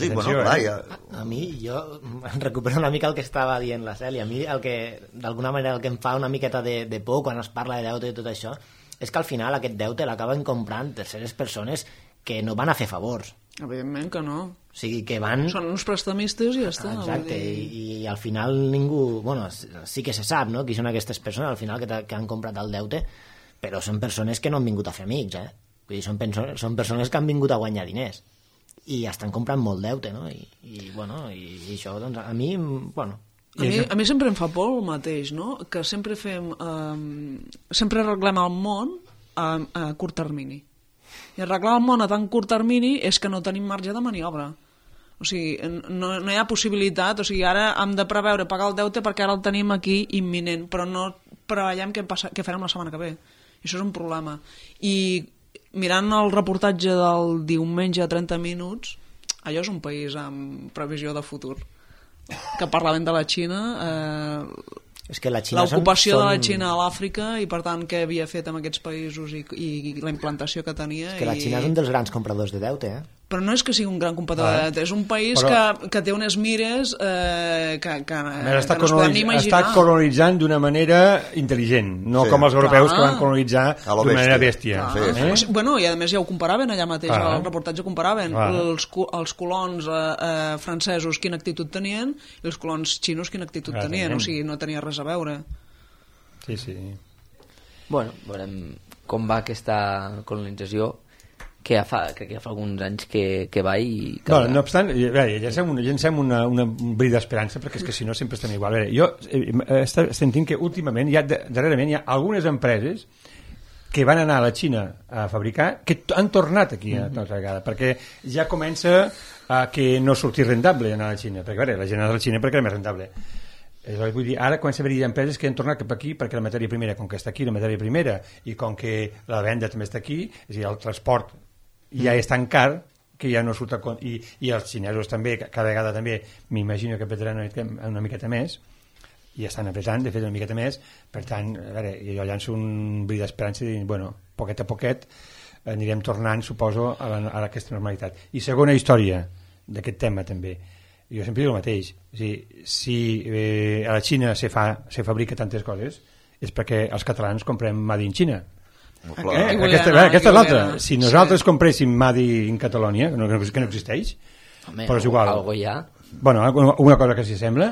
Sí, bueno, clar, ja...
A mi, jo recupero una mica el que estava dient la Cèlia. A mi, d'alguna manera, el que em fa una miqueta de por quan es parla de deute i tot això, és que al final aquest deute l'acaben comprant terceres persones que no van a fer favors.
Evidentment que no.
O sigui, que van...
Són uns prestamistes i ja està.
Exacte, i al final ningú... Bueno, sí que se sap, no?, qui són aquestes persones al final que han comprat el deute, però són persones que no han vingut a fer amics, Vull dir, són persones que han vingut a guanyar diners i estan comprant molt deute, no? I això, doncs, a mi, bueno...
A mi sempre em fa por el mateix, no? Que sempre sempre arreglem el món a curt termini. I arreglar el món a tan curt termini és que no tenim marge de maniobra. O sigui, no hi ha possibilitat, o sigui, ara hem de preveure pagar el deute perquè ara el tenim aquí imminent, però no preveiem què farem la setmana que ve. I això és un problema. I mirant el reportatge del diumenge a 30 minuts, allò és un país amb previsió de futur. Que parlaven de la Xina,
és que la Xina
l'ocupació de la Xina a l'Àfrica i, per tant, què havia fet amb aquests països i la implantació que tenia.
És que la Xina és un dels grans compradors de deute,
Però no és que sigui un gran comprador de deute, és un país que té unes mires que no es podem ni imaginar.
Està colonitzant d'una manera intel·ligent, no com els europeus que van colonitzar d'una manera bèstia.
Bueno, i a més ja ho comparaven allà mateix, al reportatge comparaven els colons francesos quina actitud tenien i els colons xinos quina actitud tenien, o sigui, no tenia res a veure.
Sí.
Bueno, veurem com va aquesta colonització, que crec que ja fa alguns anys que va i...
No obstant, llancem un bri d'esperança, perquè és que si no sempre estem igual. Jo estic sentint que últimament, darrerament, hi ha algunes empreses que van anar a la Xina a fabricar, que han tornat aquí una altra vegada, perquè ja comença a que no surti rentable anar a la Xina, perquè la gent ha d'anar a la Xina perquè era més rentable. Vull dir, ara comença a haver-hi empreses que han tornat cap aquí perquè la matèria primera, com que està aquí la matèria primera i com que la venda també està aquí, és a dir, el transport ja és tan car que ja no surt a compte, i els xinesos també, cada vegada també m'imagino que apretaran una miqueta més i estan apretant, de fet, una miqueta més. Per tant, a veure, jo llanço un bri d'esperança i dir, bueno, poquet a poquet anirem tornant, suposo, a aquesta normalitat. I segona història d'aquest tema també, jo sempre dic el mateix, si a la Xina se fabrica tantes coses és perquè els catalans comprem Made in Xina. Aquesta és l'altra. Si nosaltres compréssim Made in Catalonia, que no existeix, però és igual.
Algo hi ha.
Bueno, una cosa que s'hi sembla,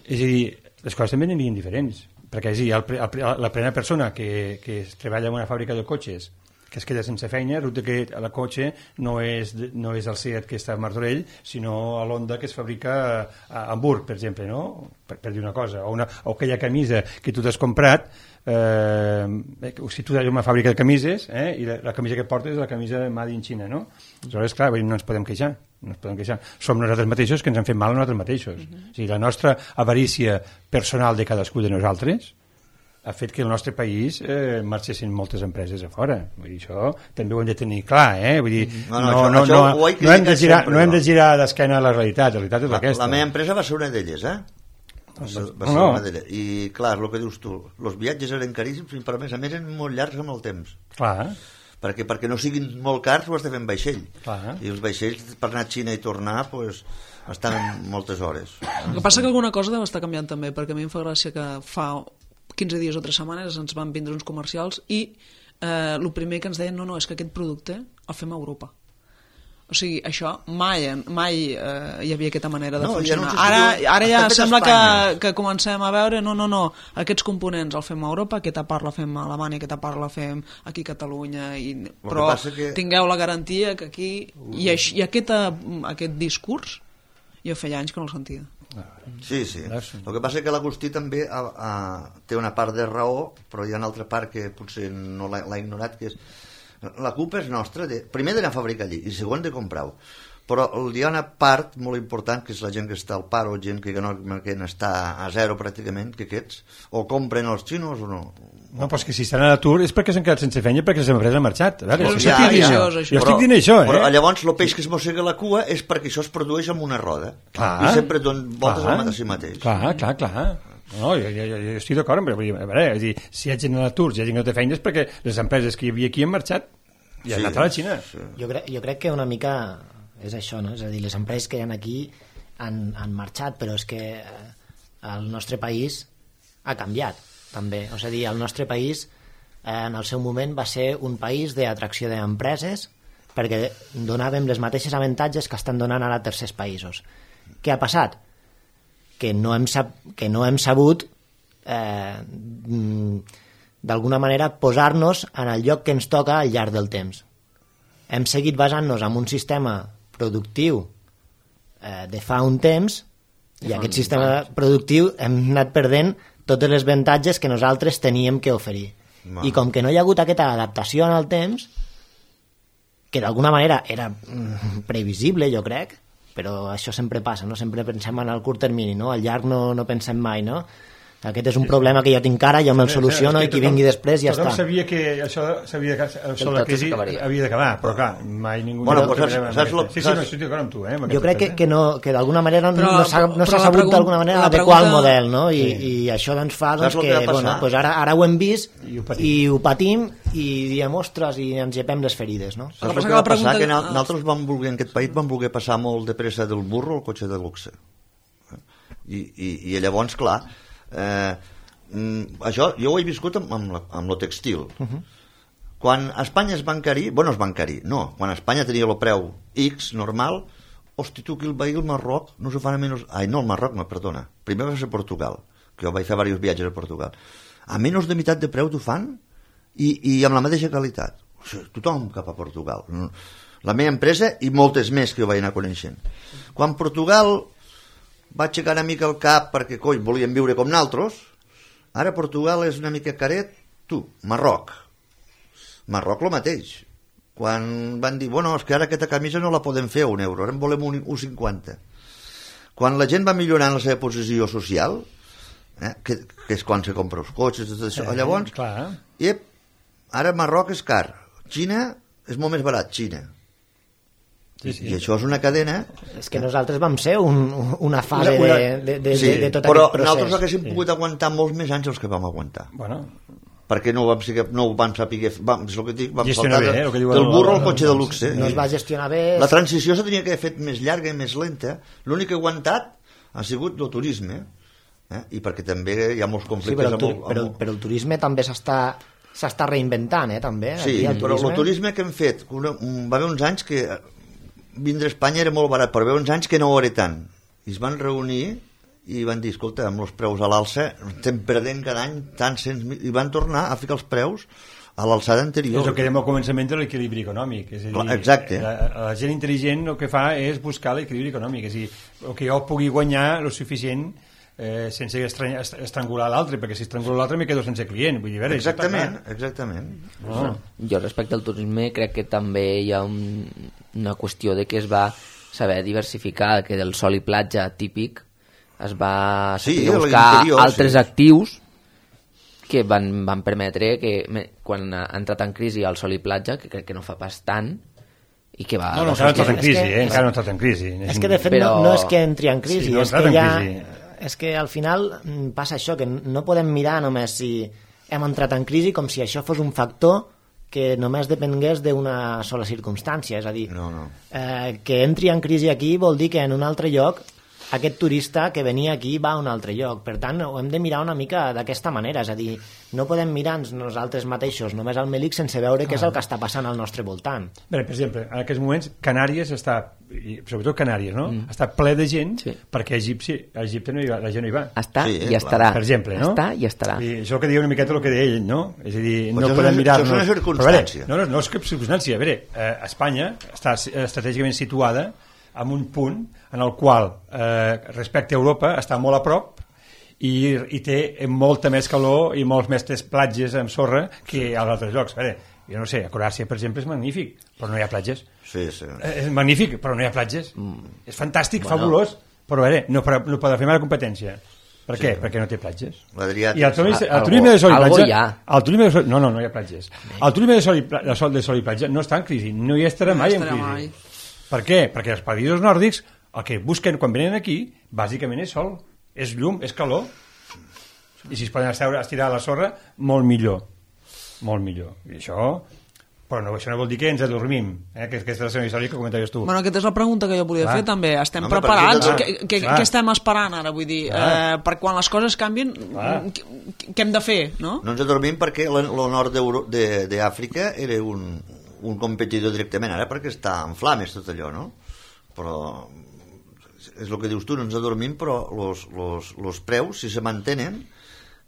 és a dir, les coses també anirien diferents, perquè és a dir, la primera persona que treballa en una fàbrica de cotxes que es queda sense feina, resulta que el cotxe no és el Seat que està a Martorell, sinó l'Honda que es fabrica a Hamburg, per exemple, no? Per dir una cosa, o aquella camisa que tu t'has comprat, si tu tens una fàbrica de camises, i la camisa que portes és la camisa Made in China, no? Aleshores, clar, no ens podem queixar. Som nosaltres mateixos que ens han fet mal a nosaltres mateixos. O sigui, la nostra avarícia personal de cadascú de nosaltres ha fet que el nostre país marxessin moltes empreses a fora. Vull dir, això també ho hem de tenir clar, Vull dir, no hem de girar d'esquena a la realitat. La realitat és aquesta.
La meva empresa va ser una d'elles, Va ser una d'elles. I clar, el que dius tu, els viatges eren caríssims, però a més eren molt llargs amb el temps.
Clar.
Perquè no siguin molt cars ho has de fer en vaixell.
Clar.
I els vaixells per anar a Xina i tornar estan moltes hores.
El que passa que alguna cosa deu estar canviant també, perquè a mi em fa gràcia que fa 15 dies o 3 setmanes ens van vindre uns comercials i el primer que ens deien no, és que aquest producte el fem a Europa. O sigui, això mai hi havia aquesta manera de funcionar. Ara ja sembla que comencem a veure no, aquests components el fem a Europa, aquesta part la fem a Alemanya, aquesta part la fem aquí a Catalunya, però tingueu la garantia que aquí... I aquest discurs jo feia anys que no el sentia.
Sí. El que passa és que l'Agustí també té una part de raó, però hi ha una altra part que potser no l'ha ignorat, que és la culpa és nostra, primer d'anar a fabricar allí i segon de comprar-ho, però hi ha una part molt important que és la gent que està al paro, gent que està a zero pràcticament, que aquests o compren els xinos o no.
No, però és que si estan a l'atur és perquè s'han quedat sense feina, perquè les empreses han marxat. Jo
estic dient això, Però llavors el peix que es mossega la cua és perquè això es produeix amb una roda. I sempre donen voltes al mateix.
Clar. No, jo estic d'acord, però a veure, si hi ha gent a l'atur, si hi ha gent que no té feina és perquè les empreses que hi havia aquí han marxat i han anat a la Xina.
Jo crec que una mica és això, no? És a dir, les empreses que hi ha aquí han marxat, però és que el nostre país ha canviat també, és a dir, el nostre país en el seu moment va ser un país d'atracció d'empreses perquè donàvem les mateixes avantatges que estan donant ara a tercers països. Què ha passat? Que no hem sabut d'alguna manera, posar-nos en el lloc que ens toca al llarg del temps. Hem seguit basant-nos en un sistema productiu de fa un temps i aquest sistema productiu hem anat perdent totes les avantatges que nosaltres teníem que oferir. I com que no hi ha hagut aquesta adaptació en el temps, que d'alguna manera era previsible, jo crec, però això sempre passa, no? Sempre pensem en el curt termini, no? Al llarg no pensem mai, no? Aquest és un problema que jo tinc ara, jo me'l soluciono i qui vingui després ja està.
Tothom sabia que això de la crisi havia d'acabar, però clar, mai ningú...
Bueno, pues saps...
Sí, no, estic d'acord amb tu,
Jo crec que d'alguna manera no s'ha sabut d'alguna manera adequar el model, no? I això doncs fa que, bueno, ara ho hem vist i ho patim i diem, ostres, i ens llepem les ferides, no?
Saps el que va passar? Que nosaltres en aquest país vam voler passar molt de pressa del burro al cotxe de luxe. I llavors, clar, això jo ho he viscut amb lo textil. Quan a Espanya es va encarir, quan a Espanya tenia el preu X normal, hosti, tu, que el veí al Marroc no se fan a menys... no, el Marroc no, perdona, primer va ser Portugal, que jo vaig fer diversos viatges a Portugal, a menys de meitat de preu t'ho fan i amb la mateixa qualitat. O sigui, tothom cap a Portugal, la meva empresa i moltes més que jo vaig anar coneixent. Quan Portugal va aixecar una mica el cap perquè, coi, volien viure com nosaltres, ara Portugal és una mica caret, Marroc el mateix. Quan van dir, bueno, és que ara aquesta camisa no la podem fer a €1, ara en volem 1,50. Quan la gent va millorant la seva posició social, que és quan se compra els cotxes, tot això, llavors, ara Marroc és car, Xina és molt més barat, Xina. Sí. I això és una cadena...
És que nosaltres vam ser una fase de tot
però
aquest procés.
Nosaltres haguéssim pogut aguantar molts més anys els que vam aguantar.
Bueno,
perquè no ho vam saber és el que dic, vam
gestionar
saltar
bé,
del burro al cotxe de luxe.
No es va gestionar bé.
La transició se tenia que haver fet més llarga i més lenta. L'únic que ha aguantat ha sigut el turisme, i perquè també hi ha molts conflictes.
Sí, però el turisme també s'està reinventant, també.
Sí, però el turisme que hem fet, va haver uns anys que vindre a Espanya era molt barat, però hi va haver uns anys que no ho era tant. I es van reunir i van dir, escolta, amb els preus a l'alça estem perdent cada any tants cents mil, i van tornar a ficar els preus a l'alçada anterior.
És el que dèiem al començament de l'equilibri econòmic. És a dir,
exacte.
La gent intel·ligent el que fa és buscar l'equilibri econòmic, és a dir, el que jo pugui guanyar el suficient sense estrangular l'altre, perquè si estrangulo l'altre me quedo sense client. Vull dir,
exactament.
No. Jo respecte al turisme crec que també hi ha una qüestió de que es va saber diversificar, que del sol i platja típic es va buscar altres actius que van permetre que quan ha entrat en crisi el sol i platja, que crec que no fa pas tant, i que va...
No, encara no ha entrat en crisi, encara no ha entrat en crisi.
És que de fet no és que entri en crisi, és que al final passa això, que no podem mirar només si hem entrat en crisi com si això fos un factor que només depengués d'una sola circumstància, és a dir, que entri en crisi aquí vol dir que en un altre lloc aquest turista que venia aquí va a un altre lloc. Per tant, ho hem de mirar una mica d'aquesta manera, és a dir, no podem mirar nosaltres mateixos només al Melic sense veure què és el que està passant al nostre voltant.
Bé, per exemple, en aquests moments Canàries està, sobretot Canàries, no? Està ple de gent perquè a Egipte la gent no hi va.
Està i estarà.
Per exemple, no?
Està i estarà.
I això que deia una miqueta el que deia ell, no? És a dir, no podem mirar-nos...
Això és una circumstància.
No és cap circumstància. A veure, Espanya està estratègicament situada en un punt en el qual respecte a Europa està molt a prop i té molta més calor i molts més platges amb sorra que als altres llocs. A veure, jo no sé, a Croàcia, per exemple, és magnífic, però no hi ha platges.
Sí.
És magnífic, però no hi ha platges. És fantàstic, fabulós, però a veure, no pot fer mala competència. Per què? Perquè no té platges. I el turisme de sol i platja... No hi ha platges. El turisme de sol i platja no està en crisi, no hi estarà mai en crisi. Per què? Perquè els països nòrdics el que busquen quan venen aquí bàsicament és sol, és llum, és calor, i si es poden estirar a la sorra molt millor. I això, però això no vol dir que ens adormim, que és la segona història que comentaves tu.
Bueno, aquesta és la pregunta que jo volia fer també. Estem preparats? Què estem esperant ara? Vull dir, per quan les coses canvien, què hem de fer? No
ens adormim perquè el nord d'Àfrica era un competidor directament, ara perquè està en flames tot allò, no? Però és el que dius tu, no ens adormim, però els preus, si se mantenen,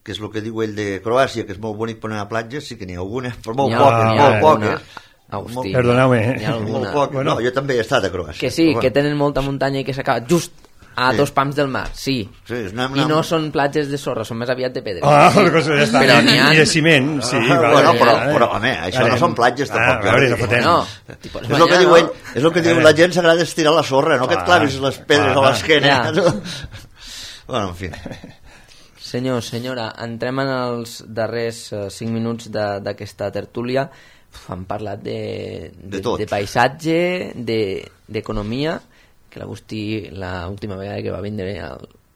que és el que diu ell de Croàcia, que és molt bonic per anar a platges, sí que n'hi ha algunes, però molt
N'hi ha
poques.
Agustí,
Perdoneu-me.
n'hi ha
Molt
alguna.
poques. No, jo també he estat a Croàcia.
Que sí,
però
que tenen molta muntanya i que s'acaba just a 2 pams del mar, sí. I no són platges de sorra, són més aviat de pedra.
Ja està.
Però n'hi ha...
I de ciment, sí.
Bueno, però, home, això no són platges, tampoc.
A veure, no fotem.
No,
és el que diu ell, és el que diu la gent, s'agrada estirar la sorra, no que et clavis les pedres a l'esquena. Bueno, en fi.
Senyor, senyora, entrem en els darrers 5 minuts d'aquesta tertúlia. Han parlat de paisatge, d'economia, que l'Agustí, l'última vegada que va vindre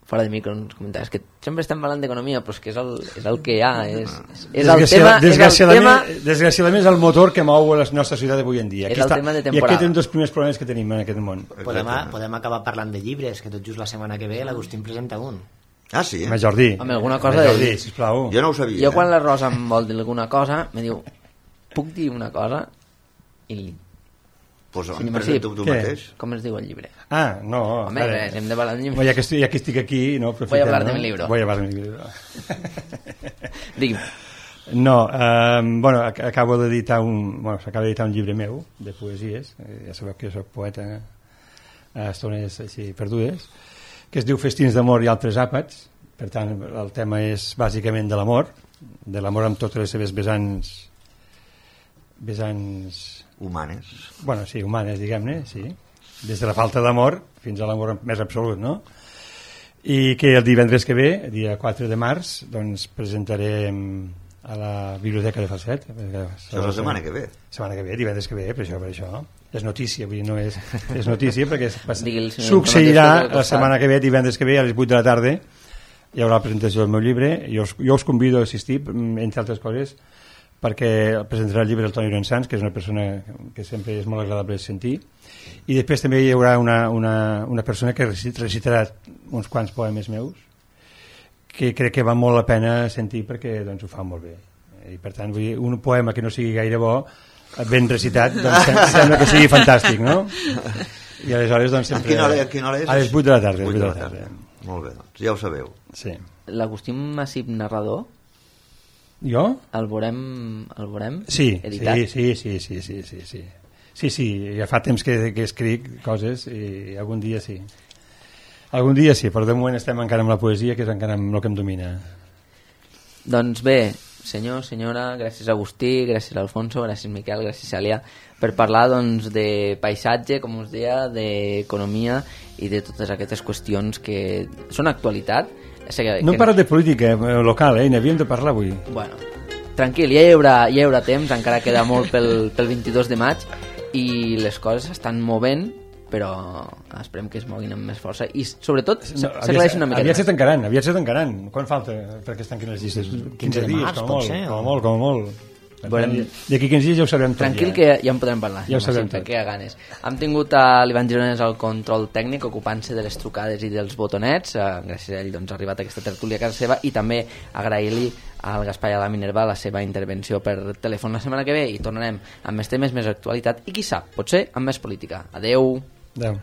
fora de micro ens comentaves que sempre estem parlant d'economia, però és que és el que hi ha, és el tema...
Desgraciadament és el motor que mou la nostra societat d'avui en dia.
És el tema de temporada.
I aquest és un dels primers problemes que tenim en aquest món.
Podem acabar parlant de llibres, que tot just la setmana que ve l'Agustí en presenta un.
Ah, sí?
Home, Jordi.
Home, alguna cosa de dir.
Sisplau.
Jo no ho sabia.
Jo quan la Rosa em vol dir alguna cosa, me diu, puc dir una cosa? I
Pues on presenta-ho tu mateix.
com es diu el llibre?
Ah, no.
Home, hem de parlar de llibre.
Ja que estic aquí, no,
Voy a hablar de mi libro.
Voy a hablar de mi libro.
Digui'm.
No, bueno, acabo d'editar bueno, s'acaba d'editar un llibre meu de poesies, ja sabeu que jo soc poeta a estones així perdudes, que es diu Festins d'amor i altres àpats. Per tant, el tema és bàsicament de l'amor amb totes les seves vessants
humanes.
Bueno, sí, humanes, diguem-ne, sí. Des de la falta d'amor fins a l'amor més absolut, no? I que el divendres que ve, dia 4 de març, doncs presentarem a la Biblioteca de Falset.
Això és la setmana que ve.
Setmana que ve, divendres que ve, per això. És notícia, vull dir, no és notícia, perquè
succeirà
la setmana que ve, divendres que ve, a les 8 de la tarda, hi haurà la presentació del meu llibre. Jo us convido a assistir, entre altres coses, perquè presentarà el llibre el Toni Llorençans, que és una persona que sempre és molt agradable de sentir, i després també hi haurà una persona que recitarà uns quants poemes meus que crec que val molt la pena sentir perquè doncs, ho fa molt bé. I per tant, vull dir, un poema que no sigui gaire bo ben recitat, doncs sembla que sigui fantàstic, no? I aleshores doncs sempre...
A quina hora és?
A les 8 de la tarda. 8 de la tarda.
Molt bé, doncs ja ho sabeu.
Sí.
L'Agustí Massip narrador,
jo?
el veurem
sí,
editat?
Sí, ja fa temps que escric coses i algun dia sí, però de moment estem encara amb la poesia, que és encara amb el que em domina.
Doncs bé, senyor, senyora, gràcies Agustí, gràcies Alfonso, gràcies Miquel, gràcies Cèlia, per parlar doncs, de paisatge, com us deia, d'economia i de totes aquestes qüestions que són actualitat.
No hem parlat de política local, n'havíem de parlar avui.
Bueno, tranquil, ja hi haurà temps, encara queda molt pel 22 de maig i les coses s'estan movent, però esperem que es moguin amb més força i sobretot s'aclareixin una mica.
Aviat se tancaran. Quan falta perquè es tanquin les llistes? 15 dies, com a molt. D'aquí 15 dies ja ho sabrem tot.
Tranquil, que ja en podrem parlar.
Ja ho sabrem tot.
Que ganes. Hem tingut l'Ivan Girones al control tècnic, ocupant-se de les trucades i dels botonets. Gràcies a ell doncs, ha arribat aquesta tertúlia a casa seva, i també agrair-li al Gaspar i a la Minerva la seva intervenció per telèfon la setmana que ve, i tornarem amb més temes, més actualitat i qui sap, potser amb més política. Adeu.
Adeu.